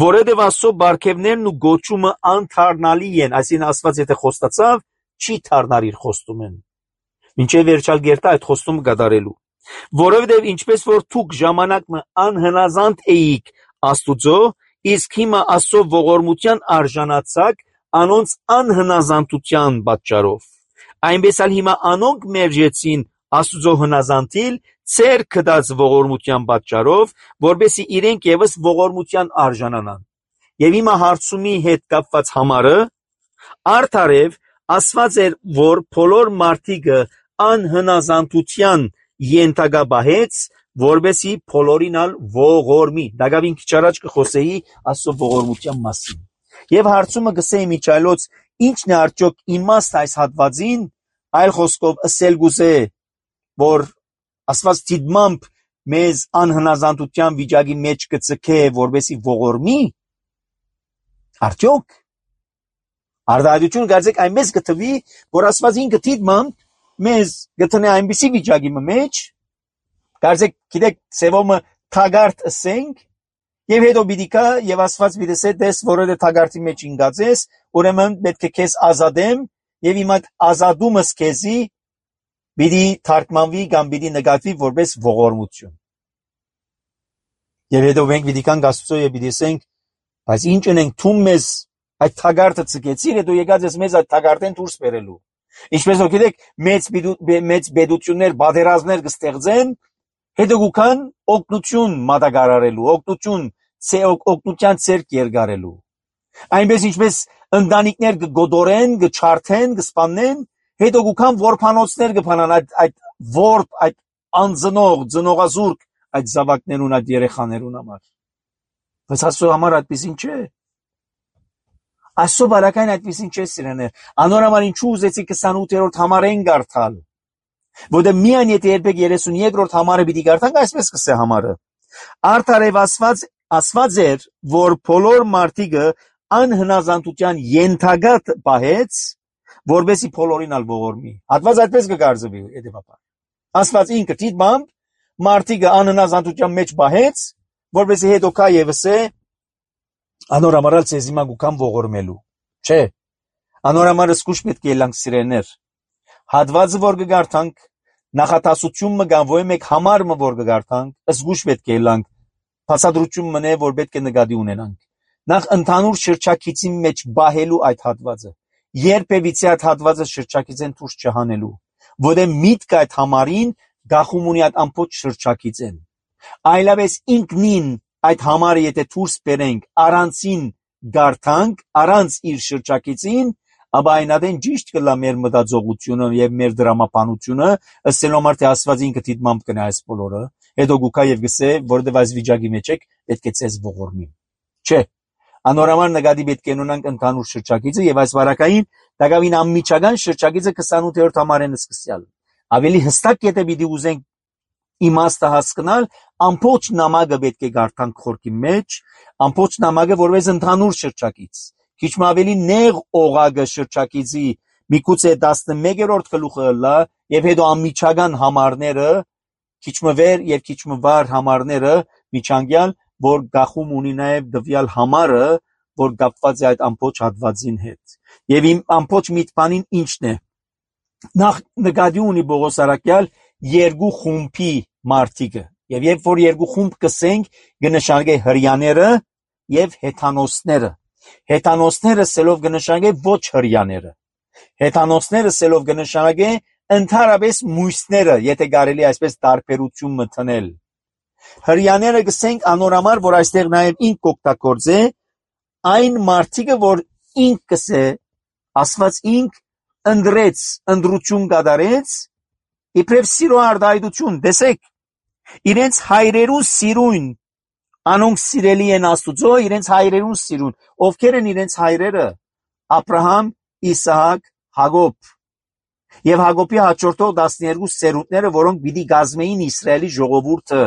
որովհետև Աստծո բարգևներն ու գոչումը անթարնալի են, այսինքն Աստված եթե խոստացավ, չի թարնար իր խոստումն, մինչև վերջալ գերտա այդ խոստումը կատարելու, որովհետև ինչպես որ դուք ժամանակը անհնազանդ էիք Աստուծո, իսկ հիմա Աստծո ողորմության արժանացաք անոնց անհնազանդության պատճառով, այնպես էլ հիմա անոնք մերժեցին Աստուծո հնազանդիլ ծեր կդած ողորմության պատճառով, որբեսի իրենք եւս ողորմության արժանանան։ Եվ հիմա հարցումի հետ կապված համարը արդարև ասված էր, որ բոլոր մարդիկը անհնազանդության ենթակաբահեց, որբեսի բոլորինալ ողորմի։ Դակավին քիչ առաջ կխոսեի Աստծո ողորմության մասին։ Եվ հարցումը գսեի միջայլոց, ինչն է արդյոք իմաստ այս հատվածին, այլ խոսքով ասել գուզե, որ Աստված դիտմամբ մեզ անհնազանդության վիճակի մեջ կցկե, որբեսի ողորմի, արդյոք արդարություն կարծեք այնպես կթվի, որ Աստված ինքը դիտմամբ մեզ գտնե այնպիսի վիճակի մեջ, կարծեք գիտեք սևոմը թագարտ ասենք, եւ հետո պիտի կա եւ Աստված պիտի ասե, դες որը թագարտի մեջ ինգած ես, ուրեմն պետք է քեզ ազատեմ եւ իմ այդ ազատումս քեզի պիտի թարգմանվի կամ պիտի նկատվի որպես ողորմություն։ Եվ հետո մենք պիտի կանք Աստծո եւ պիտի ասենք, բայց ինչ ունենք թում մեզ այդ թագարտը ցկեցիր, հետո եկած ես մեզ այդ թագարտեն դուրս բերելու։ Ինչպես որ գիտեք, մեծ մեծ բեդություններ, բادرազմներ կստեղծեն, հետո գուքան օգնություն մատակարարելու, օգնություն, ցե օգնության ցերկ երգարելու։ Այնպես ինչպես ընտանիքներ կգոդորեն, կչարթեն, կսպանեն, հետո գուքան որփանոցներ կփանան այդ այդ որփ, այդ անձնող, ծնողազուրկ այդ զավակներուն, այդ երեխաներուն համար։ Բայց Աստծո համար այդպեսին չէ։ Աստծո բարակային այդպեսին չէ սիրեներ։ Անորոմալ ինչու ուզեցի քսանութերորդ համարեն գարտալ։ Որտեղ միայն եթե երբեք երեսունյոթերորդ համարը պիտի գարտանք, այսպես կսե համարը։ Արդարև ասված ասված էր, որ բոլոր մարդիկը անհնազանդության ենթակատ պահեց, որբեսի բոլորին ալ ողորմի։ Հատված այդպես կգարձվի հետևաբար։ Աստված ինքը դիտմամբ մարդիկը անհնազանդության մեջ պահեց, որբեսի հետո կա եւս է անորամարալ ցեզիմա գուքան ողորմելու։ Չէ։ Անորամարը սկուշ պետք է լանք սիրեներ։ Հատվածը որ կգարտանք, նախատասություն մը գան, ոյ մեկ համար մը որ գարտանք, զգուշ պետք է լանք, փասադրություն մնե, որ պետք է նկատի ունենանք։ Նախ ընդհանուր շրջակիցի մեջ բահելու այդ հատվածը, երբևիցե այդ հատվածը շրջակիցեն դուրս չհանելու, որը միտք այդ համարին գախում ունի այդ ամբողջ շրջակիցեն։ Այլապես ինքնին այդ համարը եթե դուրս բերենք, առանցին գարտանք, առանց իր շրջակիցին, ապա այնադեն ճիշտ կլա մեր մտածողությունը եւ մեր դրամապանությունը, ըստ համար թե Աստված ինքը դիտմամբ կնա այս բոլորը, հետո գուքա եւ գսե, որովհետեւ այս վիճակի մեջ եք, պետք է ցես ողորմի։ Չէ, անորոշ նկատի պետք է ունենանք ընդհանուր շրջակիցը եւ այս վարակային դակավին անմիջական շրջակիցը քսանութերորդ համարեն սկսյալ։ Ավելի հստակ եթե պիտի ուզենք իմաստը հասկանալ, ամբողջ նամակը պետք է գարտանք խորքի մեջ, ամբողջ նամակը որպես ընդհանուր շրջակից։ Քիչ ավելի նեղ օղակը շրջակիցի միգուցե տասնմեկերորդ գլուխը լա եւ հետո անմիջական համարները, քիչ վեր եւ քիչ վար համարները միջանկյալ, որ գախում ունի նաեւ դվյալ համարը, որ կապված է այդ ամբողջ հատվածին հետ։ Եվ իմ ամբողջ միտքանին ինչն է։ Նախ նկատի ունի Պողոս առաքյալ երկու խումբի մարդիկը, եւ երբ որ երկու խումբ կսենք, կնշանակե հրյաները եւ հեթանոսները։ Հեթանոսները սելով կնշանակե ոչ հրյաները։ Հեթանոսները սելով կնշանակե ընդհանրապես մույսները, եթե կարելի այսպես տարբերություն մտնել։ Հրյաները կսենք անորամար, որ այստեղ նաեւ ինք կօգտագործե այն մարդիկը, որ ինք կսե, ասված ինք ընդրեց, ընդրություն կատարեց, իբրև սիրո արտահայտություն, տեսեք, իրենց հայրերու սիրուն, անոնք սիրելի են Աստուծո, իրենց հայրերուն սիրուն, ովքեր են իրենց հայրերը, Աբրահամ, Իսահակ, Հակոբ, եւ Հակոբի հաջորդող տասներկու սերունդները, որոնք պիտի կազմեին Իսրայելի ժողովուրդը,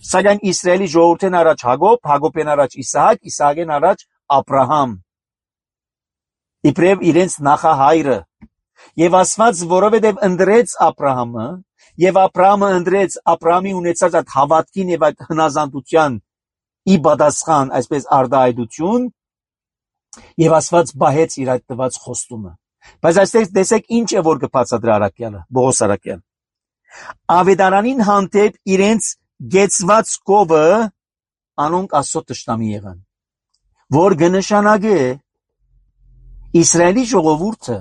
սակայն Իսրայելի ժողովուրդեն առաջ Հակոբ, Հակոբեն առաջ Իսահակ, Իսահակեն առաջ Աբրահամ, իբրև իրենց նախահայրը, եւ ասված, որովհետեւ ընդրեց Աբրահամը, եւ Աբրահամը ընդրեց Աբրահամի ունեցած այդ հավատքին եւ այդ հնազանդության ի պատասխան, այսպես արտահայտություն, եւ ասված բահեց իր այդ տված խոստումը։ Բայց այստեղ տեսեք ինչ է որ կբացատրի առաքյալը, Պողոս առաքյալ։ Ավետարանին հանդեպ իրենց գեցված կովը անոնք Աստծո թշնամի եղան, որ կնշանակե Իսրայելի ժողովուրդը,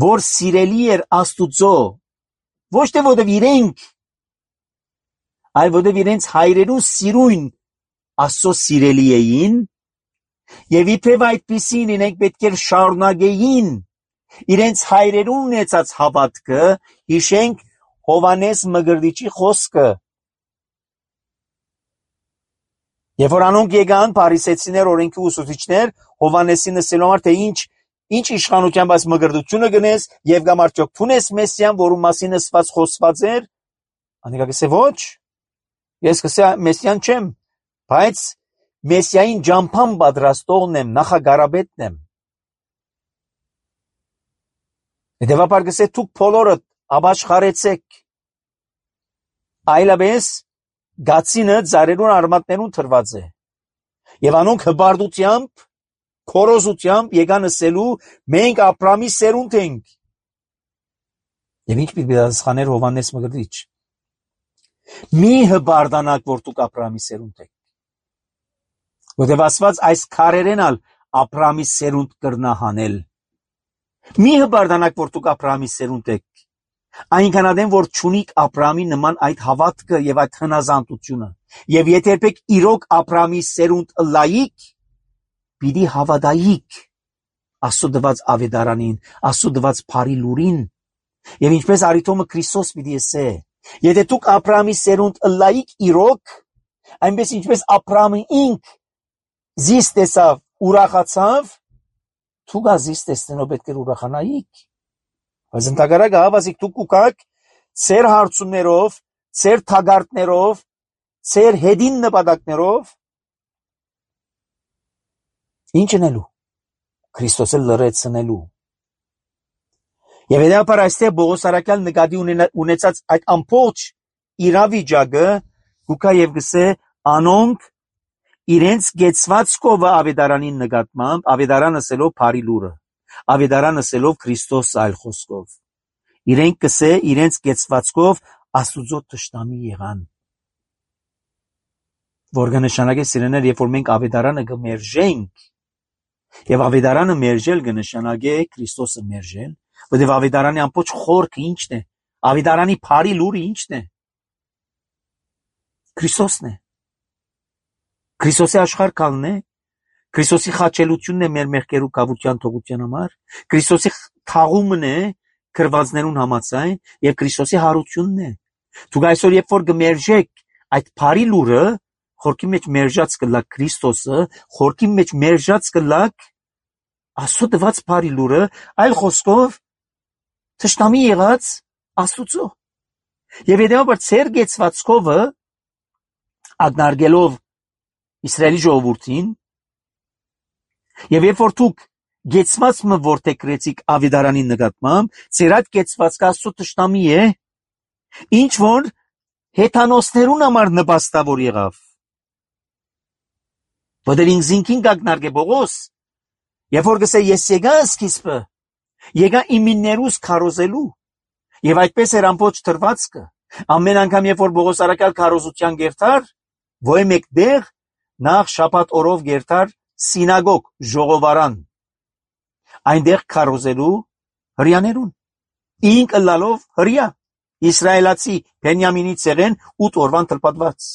որ սիրելի էր Աստուծո, ոչ թե որովհետև իրենք, այլ որովհետև իրենց հայրերու սիրուն Աստծո սիրելի էին, եւ իբրև այդպիսին իրենք պետք էր շարունակեին իրենց հայրերու ունեցած հավատքը, հիշենք Հովանես Մկրտիչի խոսքը։ Երբ որ անոնք եկան փարիսեցիներ, օրենքի ուսուցիչներ, Հովանեսին ասելով որ թե ինչ ինչ իշխանությամբ այս մկրտությունը գնես եւ կամ արդյոք փունես Մեսիան, որում մասին ասված խոսված էր, անիկա կսե ոչ, ես կսե Մեսիան չեմ, բայց Մեսիային ջամփան պատրաստողն եմ, նախագարաբետն եմ։ Հետևաբար կսե դուք բոլորդ ապաշխարեցեք, այլապես գացինը ծառերուն արմատներուն թրված է, եւ անոնք հբարդությամբ, քորոզությամբ եկան ասելու, մենք Աբրամի սերունդ ենք։ Եվ ինչ պիտի պատասխաներ Հովանես Մկրտիչ։ Մի հբարդանաք, որ դուք Աբրամի սերունդ եք, որտեղ ասված այս քարերեն ալ Աբրամի սերունդ կրնահանել։ Մի հբարդանաք, որ դուք Աբրամի սերունդ եք, այնքան adem, որ չունիք Աբրամի նման այդ հավատքը եւ այդ հնազանդությունը, եւ եթե երբեք իրոք Աբրամի սերունդ լայիկ, պիտի հավատայիք Աստծո դված ավետարանին, Աստծո դված բարի լուրին, եւ ինչպես Արիթոմը Քրիստոս պիտի ասե, եթե դուք Աբրամի սերունդ լայիկ իրոք, այնպես ինչպես Աբրամը ինք զիս տեսավ, ուրախացավ, դուք ազիս տեսնելով պետք է ուրախանայիք։ Բայց ընդհակառակը հավասիկ դուք ուկաք ծեր հարցումներով, ծեր թագարտներով, ծեր հետին նպատակներով, ինչ անելու, Քրիստոսը լրացնելու։ Եվ հետապար այստեղ Պողոս առաքյալ նկատի ունեցած այդ ամբողջ իրավիճակը գուկա եւ գսե անոնք իրենց գեցված կովը ավետարանին նկատմամբ, ավետարան ասելով բարի լուրը, ավետարան ասելով Քրիստոս այլ խոսքով, իրենք կսե իրենց կեցվածքով Աստուծո թշնամի եղան։ Որ կնշանակե սիրեներ, երբ որ մենք ավետարանը կմերժենք, եւ ավետարանը մերժել կնշանակե Քրիստոսը մերժել, որովհետեւ ավետարանի ամբողջ խորքը ինչն է, ավետարանի բարի լուրը ինչն է, Քրիստոսն է, Քրիստոսի աշխարհքալն է, Քրիստոսի խաչելությունն է մեր մեղքերու կավության թողության համար, Քրիստոսի թաղումն է քրվածներուն համաձայն եւ Քրիստոսի հարությունն է։ Դուք այսօր երբ որ կմերժեք այդ բարի լուրը, խորքի մեջ մերժած կլակ Քրիստոսը, խորքի մեջ մերժած կլակ Աստծո տված բարի լուրը, այլ խոսքով թշնամի եղած Աստուծո։ Եվ հետեւաբար ծեր գեցվածքովը ագնարգելով Իսրայելի ժողովրդին, եւ երբ որ դուք գեցված մը որտեգրեցիք ավետարանի նկատմամբ, ծեր այդ գեցվածքը Աստծո թշնամի է, ինչ որ հեթանոսներուն համար նպաստավոր եղավ։ Որտեղ ինքնին կագնարգե Բողոս, երբ որ գսե ես եկա սկիզբը, եկա իմիններուս քարոզելու, եւ այդպես էր ամբողջ թրվածքը։ Ամեն անգամ երբ որ Բողոս արաքյալ քարոզության գերտար, ոչ մեկ դեղ նախ շաբաթ օրով գերտար սինագոգ ժողովարան, այնտեղ քարոզելու հրյաներուն, ինք ըլլալով հրյա, իսրայելացի Բենյամինի ցեղեն ութ օրվան թլպատված։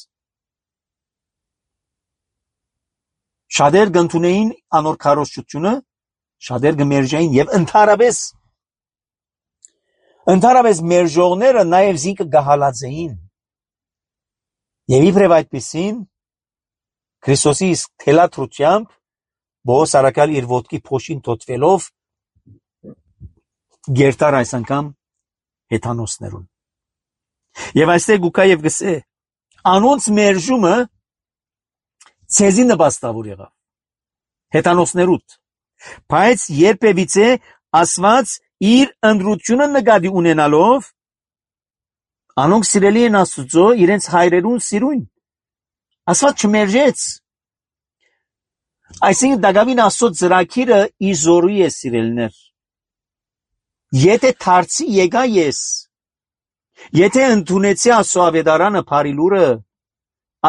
Շատեր գնդունեին անոր քարոզությունը, շատեր գմերժային եւ ընդհանրապես ընդհանրապես մերժողները նաեւ զինքը գահալած էին։ Եվ իբրև այդպեսին Քրիստոսի իսկ թելադրությամբ Բողոս արաքյալ իր ոտքի փոշին թոթվելով գերտար այս անգամ հեթանոսներուն։ Եվ այստեղ գուկա եւ գսե անոնց մերժումը ցեզի նպաստավոր եղավ հեթանոսներուտ, բայց երբևիցե ասված իր ընդրությունը նկատի ունենալով անոնք սիրելի են Աստուծո իրենց հայրերուն սիրուն, ասված չմերժեց, այսինքն դակավին Աստծո ծրագիրը իզորի է սիրելներ, եթե դարձի եկա ես, եթե ընդունեցի Աստծո ավետարանը բարի լուրը,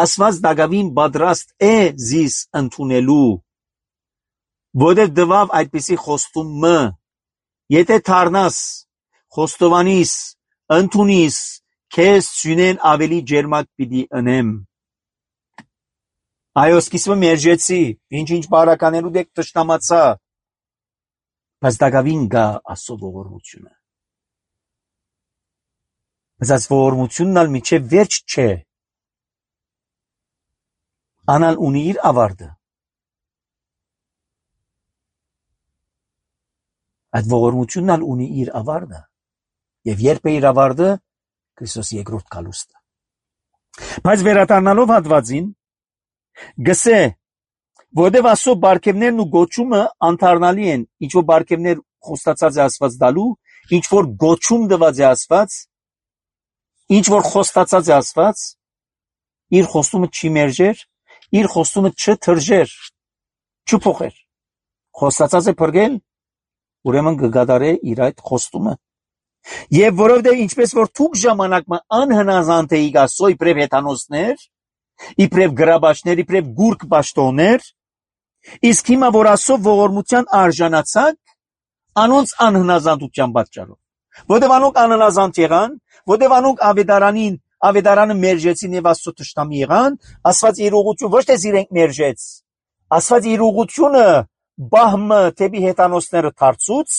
ասված դակավին պատրաստ է զիս ընդունելու, որտեղ դվավ այդպիսի խոստումը, եթե դառնաս, խոստովանիս, ընդունիս, քեզ ցունեն ավելի ջերմակ պիտի ընեմ։ Այո, սկիզբը մերժեցի, ինչ-ինչ բարականերու դեք թշնամացա, բայց դակավին գա Աստծո ողորմությունը։ Բայց այս ողորմությունն ալ միջև վերջ չէ, անալ ունի իր ավարտը։ Այդ ողորմությունն ալ ունի իր ավարտը, եւ երբ է իր ավարտը, Քրիստոսի երկրորդ գալուստը։ Բայց վերադառնալով հատվածին, գսե, որտեւ Աստծո բարգեւներն ու գոչումը անթարնալի են, ինչ որ բարգեւներ խոստացած է Աստված դալու, ինչ որ գոչում տված է Աստված, ինչ որ խոստացած է Աստված, իր խոստումը չի մերժեր, իր խոստումը չթրջեր, չփոխեր։ Խոստացած է փրկել, ուրեմն կգադարե իր այդ խոստումը։ Եվ որովհետև ինչպես որ թուք ժամանակը անհնազանդ էիք Աստծո իբրև հեթանոսներ, իբրև գրաբաչներ, իբրև գուրկ պաշտոններ, իսկ հիմա որ Աստծո ողորմության արժանացաք, անոնց անհնազանդության պատճառով, որովհետև անոնք անհնազանդ եղան, որովհետև անոնք ավետարանին, ավետարանը մերժեցին եւ Աստծո թշնամի եղան, Աստված իր ուղղություն ոչ թե իրենք մերժեց, Աստված իր ուղղությունը բահմը թեպի հեթանոսները դարձուց,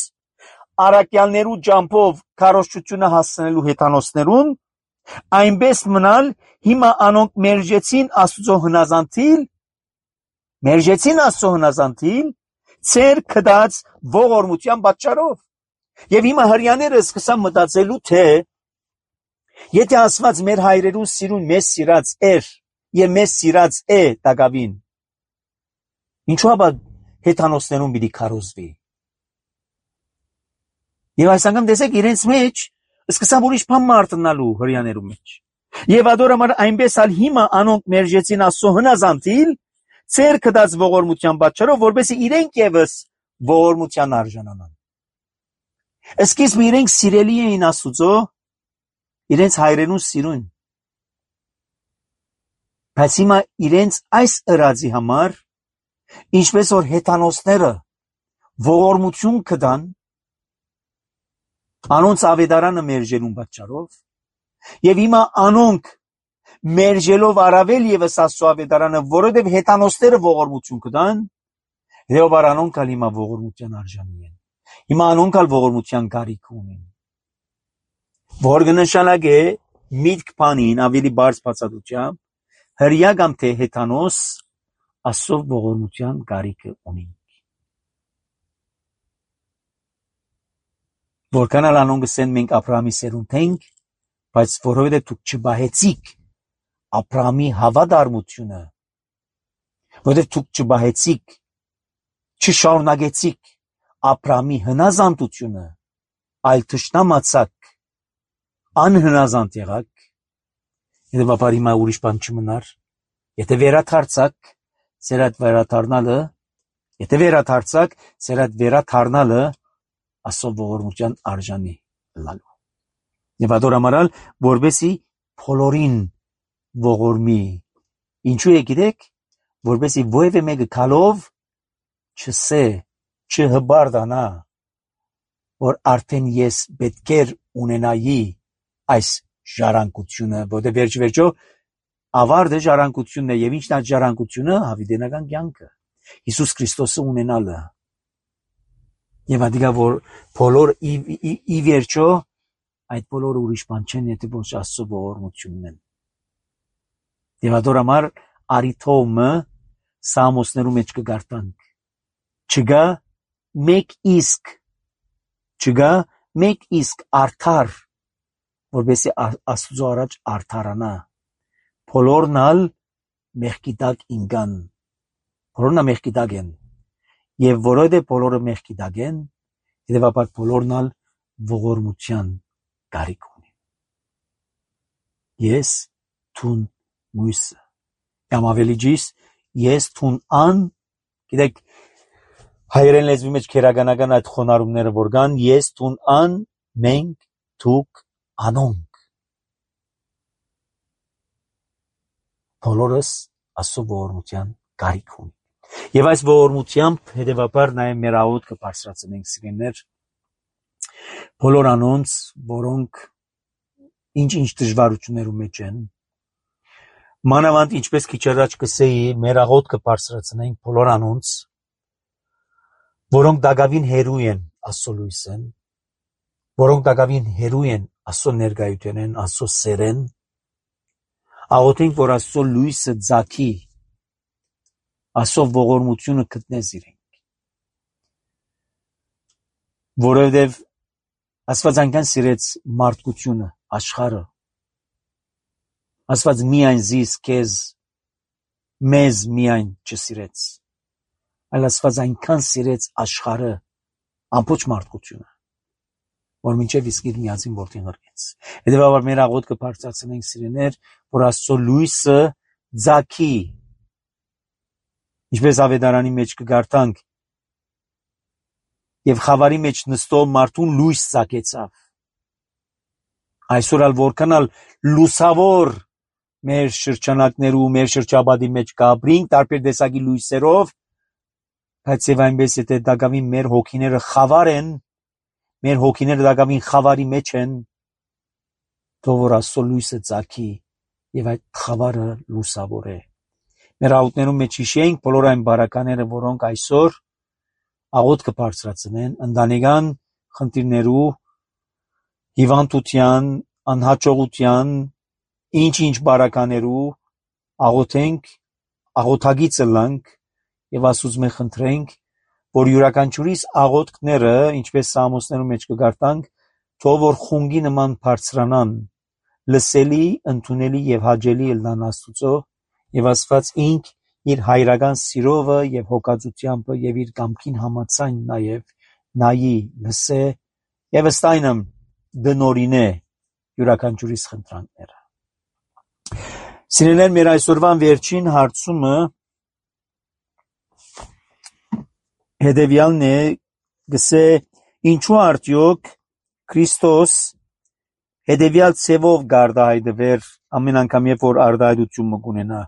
արաքյալներու ջամփով քարոզչությունը հասցնելու հեթանոսներուն, այնպես մնալ հիմա անոնք մերժեցին Աստծո հնազանդիլ, մերժեցին Աստծո հնազանդիլ, ծեր կդած ողորմության պատճառով։ Եվ հիմա հрьяաները սկսան մտածելու, թե եթե Աստված մեր հայրերուն սիրուն մեզ սիրած էր եւ մեզ սիրած է դակավին, ինչու՞ ապա հեթանոսներուն պիտի քարոզվի։ Եվ այս անգամ տեսեք իրենց մեջ սկսան ուրիշ բան մարտնալու հрьяաներու մեջ։ Եվ ադորամար այնպես ալ հիմա անոնք մերժեցին Աստծո հնազանդիլ, ծեր կդած ողորմության պատճառով, որպեսզի իրենք եւս ողորմության արժանանան։ Սկիզբը իրենք սիրելի էին Աստուծո, իրենց հայրենու սիրուն։ Բայց հիմա իրենց այս ըրածի համար, ինչպես որ հեթանոսները ողորմություն կդան, անոնց ավետարանը մերժելուն պատճառով, եւ հիմա անոնք մերժելով առավել եւս Աստծո ավետարանը, որովհետեւ հեթանոսները ողորմություն կդան, հետեւաբար անոնք ալ հիմա ողորմության արժանի են։ Հիմա անոնք ալ ողորմության կարիք ունեն։ Որ կնշանակե միտք բանին ավելի բարձ բացատրությամբ, հրյա կամ թե հեթանոս Աստծո ողորմության կարիքը ունի։ Որքան ալ անոնք ասեն մենք Աբրահամի սերունդ ենք, բայց որովհետեւ դուք չբահեցիք Աբրահամի հավատարմությունը, որովհետեւ դուք չբահեցիք, չշարունակեցիք Աբրահամի հնազանդությունը, այլ թշնամացաք, անհնազանդ եղաք, հետևաբար հիմա ուրիշ բան չմնար, եթե վերադարձաք, ձեր այդ վերադառնալը, եթե վերադարձաք, ձեր այդ վերադառնալը Աստծո ողորմության արժանի լալու։ Եվ ադոր ամարալ, որբեսի բոլորին ողորմի, ինչու է գիտեք, որբեսի ովևէ մեկը քալով չսե, չհբարդանա, որ արդեն ես պետք էր ունենայի այս ժառանգությունը, որտեղ վերջ վերջո ավարտը ժառանգությունն է, եւ ինչն է ժառանգությունը, հավիտենական կյանքը, Հիսուս Քրիստոսը ունենալը։ Եվ ադիգա որ բոլոր ի, ի, ի վերջո այդ բոլորը ուրիշ բան չեն, եթե ոչ Աստծո ողորմությունն են։ Եվ ադոր համար արիթոմը Սամոսներու մեջ կգարտանք։ Չգա մեկ իսկ, չգա մեկ իսկ արդար, որբեսի Աստծո առաջ արդարանա։ Բոլորն ալ մեղքի տակ ինգան, բոլորն ալ մեղքի տակ են, եւ որովհետեւ բոլորը մեղքի տակ են, հետեւաբար բոլորն ալ ողորմության կարիք ունեն։ Ես թուն մույսը, կամ ավելի ճիշտ, ես թուն ան, գիտեք, հայերեն լեզվի մեջ քերականական այդ խոնարհումները որ կան, ես թուն ան, մենք, դուք, անոնք, բոլորս Աստծո ողորմության կարիք ունեն։ Եվ այս ողորմությամբ հետևաբար նաև մեր աղոթքը կբարձրացնենք սիրելիներ, բոլոր անոնց, որոնք ինչ-ինչ դժվարություններու մեջ են, մանավանդ ինչպես քիչ առաջ կսեի, մեր աղոթքը կբարձրացնենք բոլոր անոնց, որոնք դակավին հերու են Աստծո լույսեն, որոնք դակավին հերու են Աստծո ներկայութենեն, Աստծո սերեն, աղոթենք, որ Աստծո լույսը ծագի, Աստծո ողորմությունը գտնես իրենք, որովհետև Աստված այնքան սիրեց մարդկությունը, աշխարհը, Աստված միայն զիս, քեզ, մեզ միայն չսիրեց, այլ Աստված այնքան սիրեց աշխարհը, ամբողջ մարդկությունը, որ մինչև իսկ իր միածին որդին ղրկեց։ Հետևաբար մեր աղոթքը բարձրացնենք սիրելիներ, որ Աստծո լույսը ծագի, ինչպես ավետարանի մեջ կգարտանք, եւ խավարի մեջ նստող մարդուն լույս ծագեցավ։ Այսօր ալ որքան ալ լուսավոր մեր շրջանակներու, մեր շրջապատի մեջ կապրինք տարբեր տեսակի լույսերով, բայց եւ այնպես եթե դակավին մեր հոգիները խավար են, մեր հոգիները դակավին խավարի մեջ են, թող որ Աստծո լույսը ծագի եւ այդ խավարը լուսավոր է։ Մեր աղոթներում մեջ հիշենք բոլոր այն բարակաները, որոնք այսօր աղոթքը բարձրացնեն, ընտանեկան խնդիրներու, հիվանդության, անհաջողության, ինչ-ինչ բարականերու աղոթենք, աղոթագիծը լանք եւ Աստծուց մենք խնդրենք, որ յուրաքանչյուրիս աղոթքները, ինչպես Սամոսներու մեջ կգարտանք, թող որ խունգի նման բարձրանան, լսելի, ընդունելի եւ հաճելի ելնան Աստուծո, եւ Աստված ինք իր հայրական սիրովը եւ հոգածությամբ եւ իր կամքին համաձայն նաեւ նայի, լսե եւ ըստ այնմ դնորինե յուրաքանչյուրիս խնդրանքները։ Սիրելիներ, մեր այսօրվան վերջին հարցումը հետևյալն է, գսե Ինչու արդյոք Քրիստոս հետևյալ ցևով գարտահայտվեր ամեն անգամ երբ որ արտահայտություն կունենա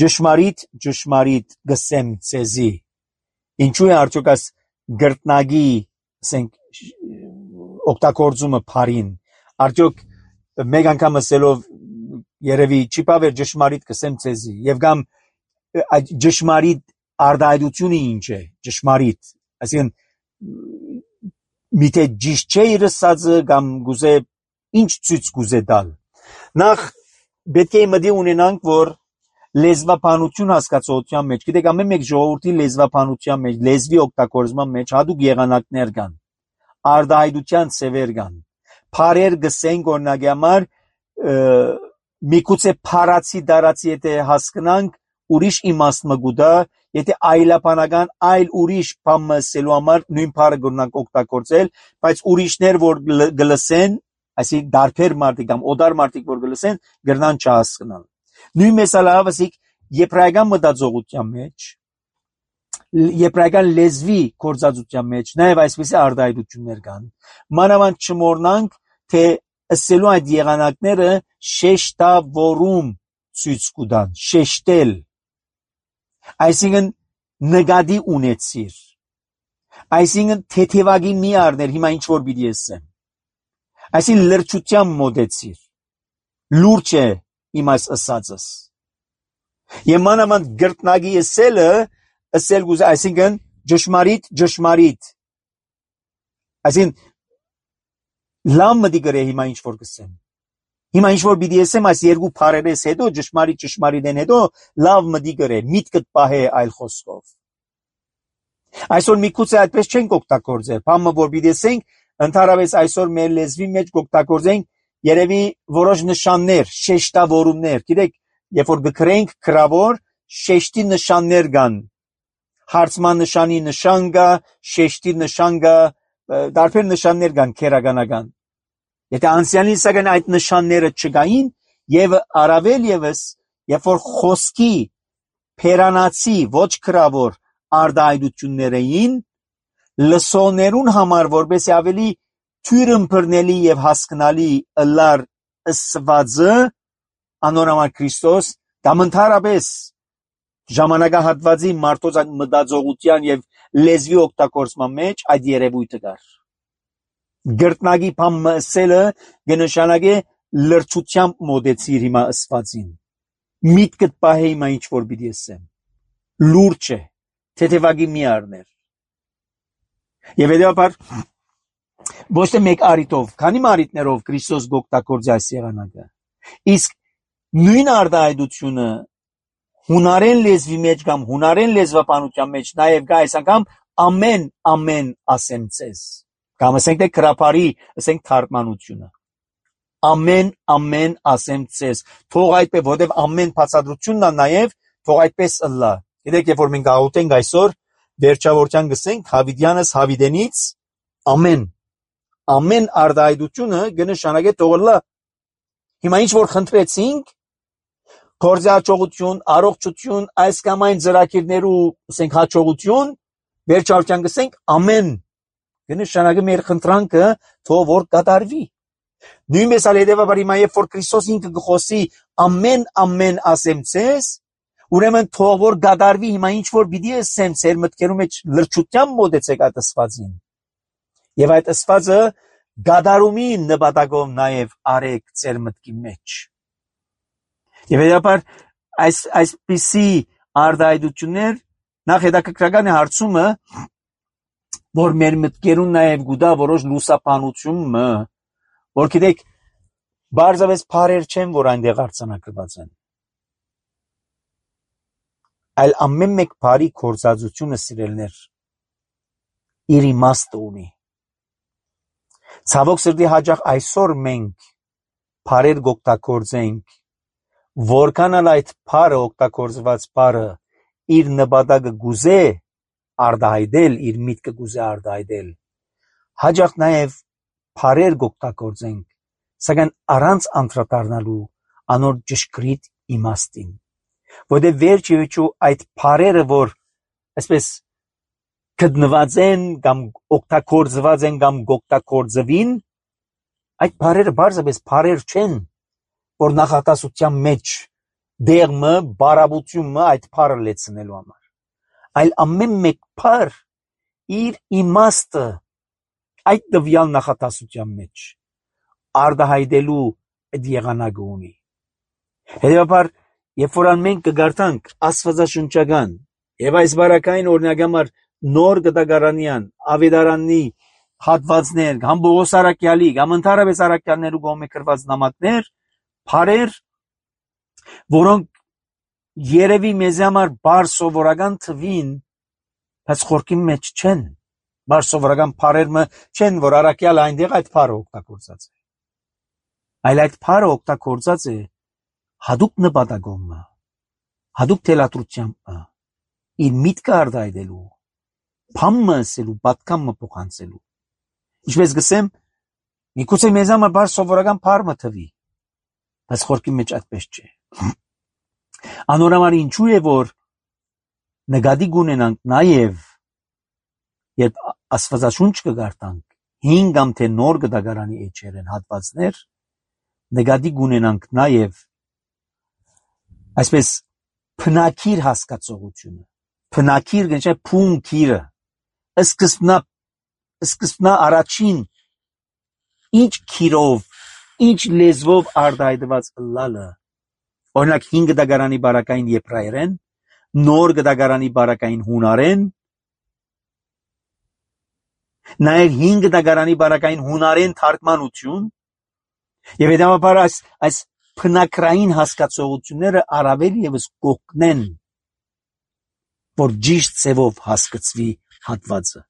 ճշմարիտ ճշմարիտ գսեմ ցեզի ինչու է արդյոք այս գրտնագի ասենք օգտագործումը բարին արդյոք մեկ անգամ ասելով երևի չի բավեր ճշմարիտ գսեմ ցեզի եւ կամ ճշմարիտ արտահայտությունը ինչ է ճշմարիտ այսինքն միթե ճիշտ չէ իր ասածը կամ գուզե ինչ ցույց գուզե տալ նախ պետք է մտի ունենանք որ լեզվաբանություն հասկացողության մեջ գիտեք ամեն մեկ ժողովրդի լեզվաբանության մեջ լեզվի օգտագործման մեջ հատուկ եղանակներ կան արտահայտության ցևեր կան բարեր գսենք օրինակի համար միգուցե փարացի դարացի եթե հասկանանք ուրիշ իմաստ մգուտա եթե այլաբանական այլ ուրիշ բան ասելու համար նույն բառը գտնանք օգտագործել բայց ուրիշներ որ գլսեն այսինքն դարբեր մարդիկ կամ օդար մարդիկ որ գլսեն գրնան չհասկանան նույն մեսալավ ասիկ եբրայական մտածողության մեջ եբրայական լեզվի կորզածության մեջ նաև այսպիսի արտահայտություններ կան մանավանդ չմոռնանք թե ասելու այդ եղանակները շեշտավորում ցույց կտան շեշտել այսինքն նկատի ունեցիր այսինքն թեթևագի մի առներ հիմա ինչ որ պիտի ասեմ այսինքն լրջության մոդեցիր լուրջ է իմ այս ասածս եւ մանավանդ գրտնագի ասելը ասել գուզ այսինքն ճշմարիտ ճշմարիտ այսինքն լավ մտի գրե հիմա ինչ որ կսեմ հիմա ինչ որ պիտի ասեմ այս երկու բառերից հետո ճշմարիտ ճշմարիտեն հետո լավ մտի գրե միտքդ պահե այլ խոսքով այսօր միգուցե այդպես չենք օգտագործել բամը որ պիտի ասենք ընդհանրապես այսօր մեր լեզվի մեջ օգտագործենք երևի որոշ նշաններ շեշտավորումներ գիտեք երբ որ գրենք գրավոր շեշտի նշաններ կան հարցման նշանի նշան կա շեշտի նշան կա տարբեր նշաններ կան քերականական եթե անցյալին սակայն այդ նշանները չկային եւ առավել եւս երբ որ խոսքի փերանացի ոչ գրավոր արտահայտություններ էին լսողներուն համար որպեսզի ավելի թյուրըմբռնելի եւ հասկանալի ըլլար ըսվածը անորոմար Քրիստոս կամ ընդհանրապես ժամանակահատվածի մարդոց մտածողության եւ լեզվի օգտագործման մեջ այդ երևույթը կար գրտնագի բամը ասելը կնշանակե լրջությամբ մոդեցիր հիմա ասվածին միտքդ պահե հիմա ինչ որ պիտի ասեմ լուրջ է թեթևագի մի առներ եւ հետեւաբար ոչ թե մեկ արիտով քանի մարիտներով Քրիստոս գոկտակորձի այս եղանակը իսկ նույն արտահայտությունը հունարեն լեզվի մեջ կամ հունարեն լեզվաբանության մեջ նաեւ կա այս անգամ ամեն ամեն ասեմ ցեզ կամ ասենք թե քրապարի ասենք թարգմանությունը ամեն ամեն ասեմ ցեզ թող այդպես որտեւ ամեն բացատրությունն է նաեւ թող այդպես ըլլա գիտեք երբ որ մենք գաղութենք այսօր վերջավորության գսենք հավիդյանս հավիդենից ամեն ամեն արտահայտությունը կնշանակե թող ըլլա հիմա ինչ որ խնդրեցինք գործի հաջողություն առողջություն այս կամ այն ծրագիրներու ասենք հաջողություն վերջավորության գսենք ամեն կնշանակե մեր խնդրանքը թող որ կատարվի նույնպես ալ հետևաբար հիմա երբ որ Քրիստոս ինքը գխոսի ամեն ամեն ասեմ ցեզ ուրեմն թող որ կատարվի հիմա ինչ որ պիտի ասեմ ձեր մտքերում մեջ լրջությամբ մոտեցեք այդ ասվածին եւ այդ ասվածը կատարումի նպատակով նաեւ արեք ձեր մտքի մեջ եւ հետաբար այս այսպիսի արտահայտություններ նախ հետաքրքրական է հարցումը որ մեր մտքերուն նաև գուտա որոշ լուսապանություն որ գիտեք բարձավես բարեր չեն որ այնտեղ արձանագրված են այլ ամեն մեկ բարի կործածությունը սիրելներ իր իմաստը ունի ցավոք սրտի հաճախ այսօր մենք բարեր գոկտակորձենք որքան ալ այդ բարը օգտագործված բարը իր նպատակը գուզե արտահայտել իր միտքը գուզե արտահայտել հաճախ նաև բարեր գոկտագործենք սակայն առանց անդրադառնալու անոր ճշգրիտ իմաստին որտեղ վերջիվերջո այդ բարերը որ այսպես գտնված են կամ օգտագործված են կամ օգտագործվին, այդ բարերը բարձրապես բարեր չեն, որ նախատասության մեջ դերմը, բարավությունը այդ բարը լեցնելու համար, այլ ամեն մեկ բար իր իմաստը այդ տվյալ նախատասության մեջ արտահայտելու այդ եղանակը ունի։ Հետևաբար, երբ որ մենք կգարտանք աստվածաշնչական եւ այս բարակային օրինակամար նոր գտագարանյան ավետարանի հատվածներ, կամ Պողոս առաքյալի, կամ ընդհանրապես առաքյալներու կողմէ գրված նամակներ, բարեր, որոնք երևի մեզ համար բար սովորական թվին, բայց խորքի մեջ չեն, բար սովորական բարերը չեն, որ առաքյալը այնտեղ այդ բարը օգտագործած է, այլ այդ բարը օգտագործած է հատուկ նպատակով, հատուկ թելադրությամբ, իր միտքը արտահայտելու, բամը ասելու, պատկամը փոխանցելու։ Ինչպես գսեմ, միգուցե մեզ համար բար սովորական բարը թվի, բայց խորքի մեջ այդպես չէ։ Անորոշ ինչու է, որ նկատի կունենանք նաև, երբ աստվածաշունչ կգարտանք, հին կամ թե նոր գտագարանի էջերեն հատվածներ, նկատի կունենանք նաև այսպես փնակիր հասկացողությունը, փնակիր գնչե փունքիրը, սկզբնա սկզբնա առաջին ինչ քիրով, ինչ լեզվով արտահայտված լալը, օրինակ հին գտագարանի բարակային եբրայերեն, նոր գտագարանի բարակային հունարեն, նաև հին գտագարանի բարակային հունարեն թարգմանություն, եւ հետեւաբար այս այս փնակրային հասկացողությունները առավել եւս կօգնեն, որ ճիշտ ձևով հասկացվի հատվածը։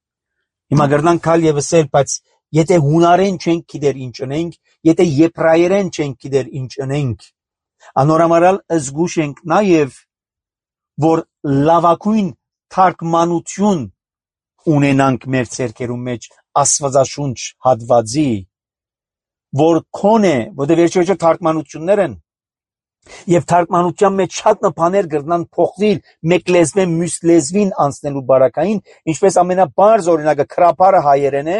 Հիմա գրնանք քալ եւս էլ, բայց եթե հունարեն չենք գիտեր ինչ ունենք, եթե եբրայերեն չենք գիտեր ինչ ունենք, անորամարալ զգուշ ենք նաև, որ լավագույն թարգմանություն ունենանք մեր ցերկերու մեջ աստվածաշունչ հատվածի, որ քոնե, որտեղ վերջերս թարգմանություններ են, եւ թարգմանության մեջ շատ բաներ կրնան փոխվել մեկ լեզվեն մյուս լեզվին անցնելու բարակային, ինչպես ամենաբարձ օրինակը քրապարը հայերեն է,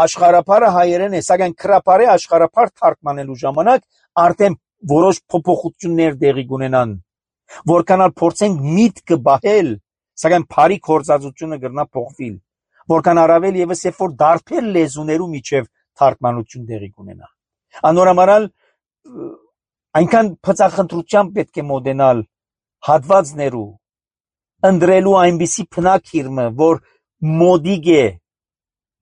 աշխարհապարը հայերեն է, սակայն քրապարի աշխարհապար թարգմանելու ժամանակ արդեն որոշ փոփոխություններ տեղի կունենան, որքանալ փորձենք միտքը բահել, սակայն բարի կորցածությունը կրնա փոխվել, որքան առավել եւս երբ որ դարբեր լեզուներու միջև թարգմանություն տեղի կունենա։ Անորամարալ այնքան փծախնդրությամբ պետք է մոտենալ հատվածներու, ընդրելու այնպիսի փնակիրմը, որ մոդիկ է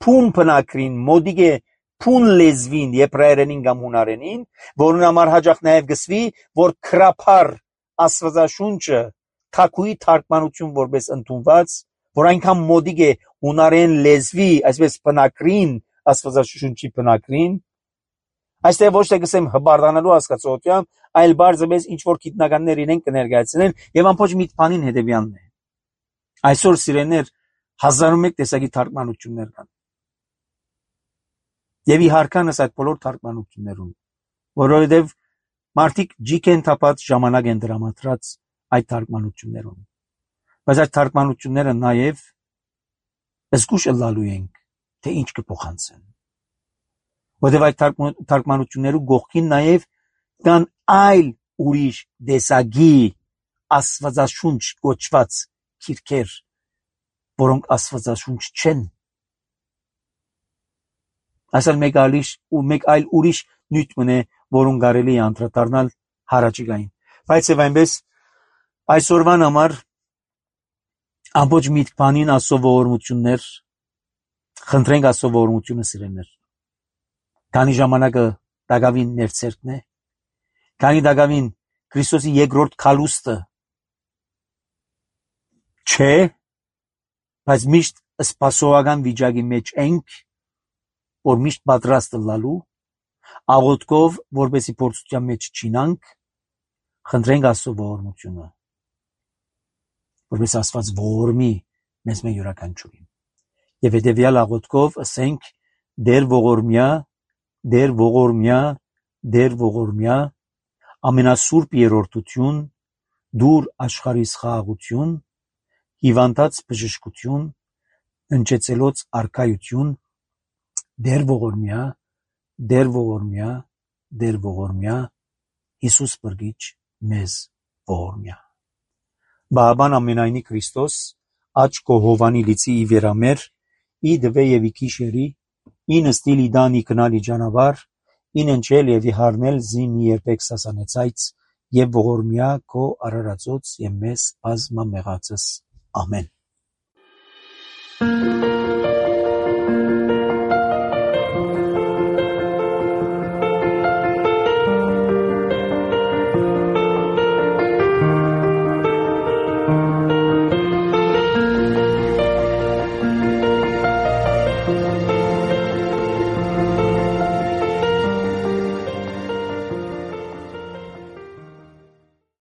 փուն փնակրին, մոդիկ է փուն լեզվին, եբրայերենին կամ հունարենին, որն համար հաջող նաև գսվի, որ քրապար աստվածաշունչը թակուի թարգմանություն որպես ընդունված, որ այնքան մոդիկ է հունարեն լեզվի, այսպես փնակրին աստվածաշունչի փնակրին, այստեղ ոչ թե գսեմ հբարդանալու հասկացողությամբ, այլ բարձրապես ինչ որ գիտնականներ իրեն կներկայացնեն եւ ամբողջ միտքանին հետեւյալն է։ Այսօր սիրեներ հազար ու մեկ տեսակի թարգմանություններ կան։ Եվ իհարկանս այդ բոլոր թարգմանություններուն, որովհետեւ մարդիկ ջիկ են թափած ժամանակ են դրամատրած այդ թարգմանություններուն։ Բայց այդ թարգմանությունները նաեւ զգուշ լալու ենք, թե ինչ կփոխանցեն։ Որտեւ այդ թարգմանություններու գողքին նաև կան այլ ուրիշ դեսագի աստվածաշունչ կոչված քիրքեր, որոնք աստվածաշունչ չեն։ Այսօր մեկ այլ ու մեկ այլ ուրիշ նյութ մնե, որոնք կարելի է անդրադառնալ հարաճիգային։ Բայց եւ այնպես այսօրվան համար ամբողջ միտքանին ասովորություններ, խնդրենք ասովորությունը սիրելներ։ Քանի ժամանակը դակավին ներցերքն է, քանի դակավին Քրիստոսի երկրորդ քալուստը չէ, բայց միշտ սպասողական վիճակի մեջ ենք, որ միշտ պատրաստ լալու, աղոթքով, որպեսզի փորձության մեջ չինանք, խնդրենք Աստծո ողորմությունը, որպես Աստված ողորմի մեզ մեր յուրաքանչյուրին։ Եվ հետևյալ աղոթքով ասենք դեր ողորմյա, դեր ողորմյա, դեր ողորմյա, ամենասուրբ երրորդություն, դուր աշխարհիս խաղաղություն, հիվանդած բժշկություն, ընչեցելոց արքայություն, դեր ողորմյա, դեր ողորմյա, դեր ողորմյա, Հիսուս բրգիչ մեզ ողորմյա։ Բաբան ամենայնի Քրիստոս, աչ կո հովանի լիցի ի վերամեր, ի դվե եւ ի քիշերի, ի նստիլ ի դան ի կնալ ի ջանավար, ի ննչել եւ ի հարնել զի մի երբեք սասանեցայց, եւ ողորմյա քո արարածոց եւ մեզ բազմամեղածս։ Ամեն։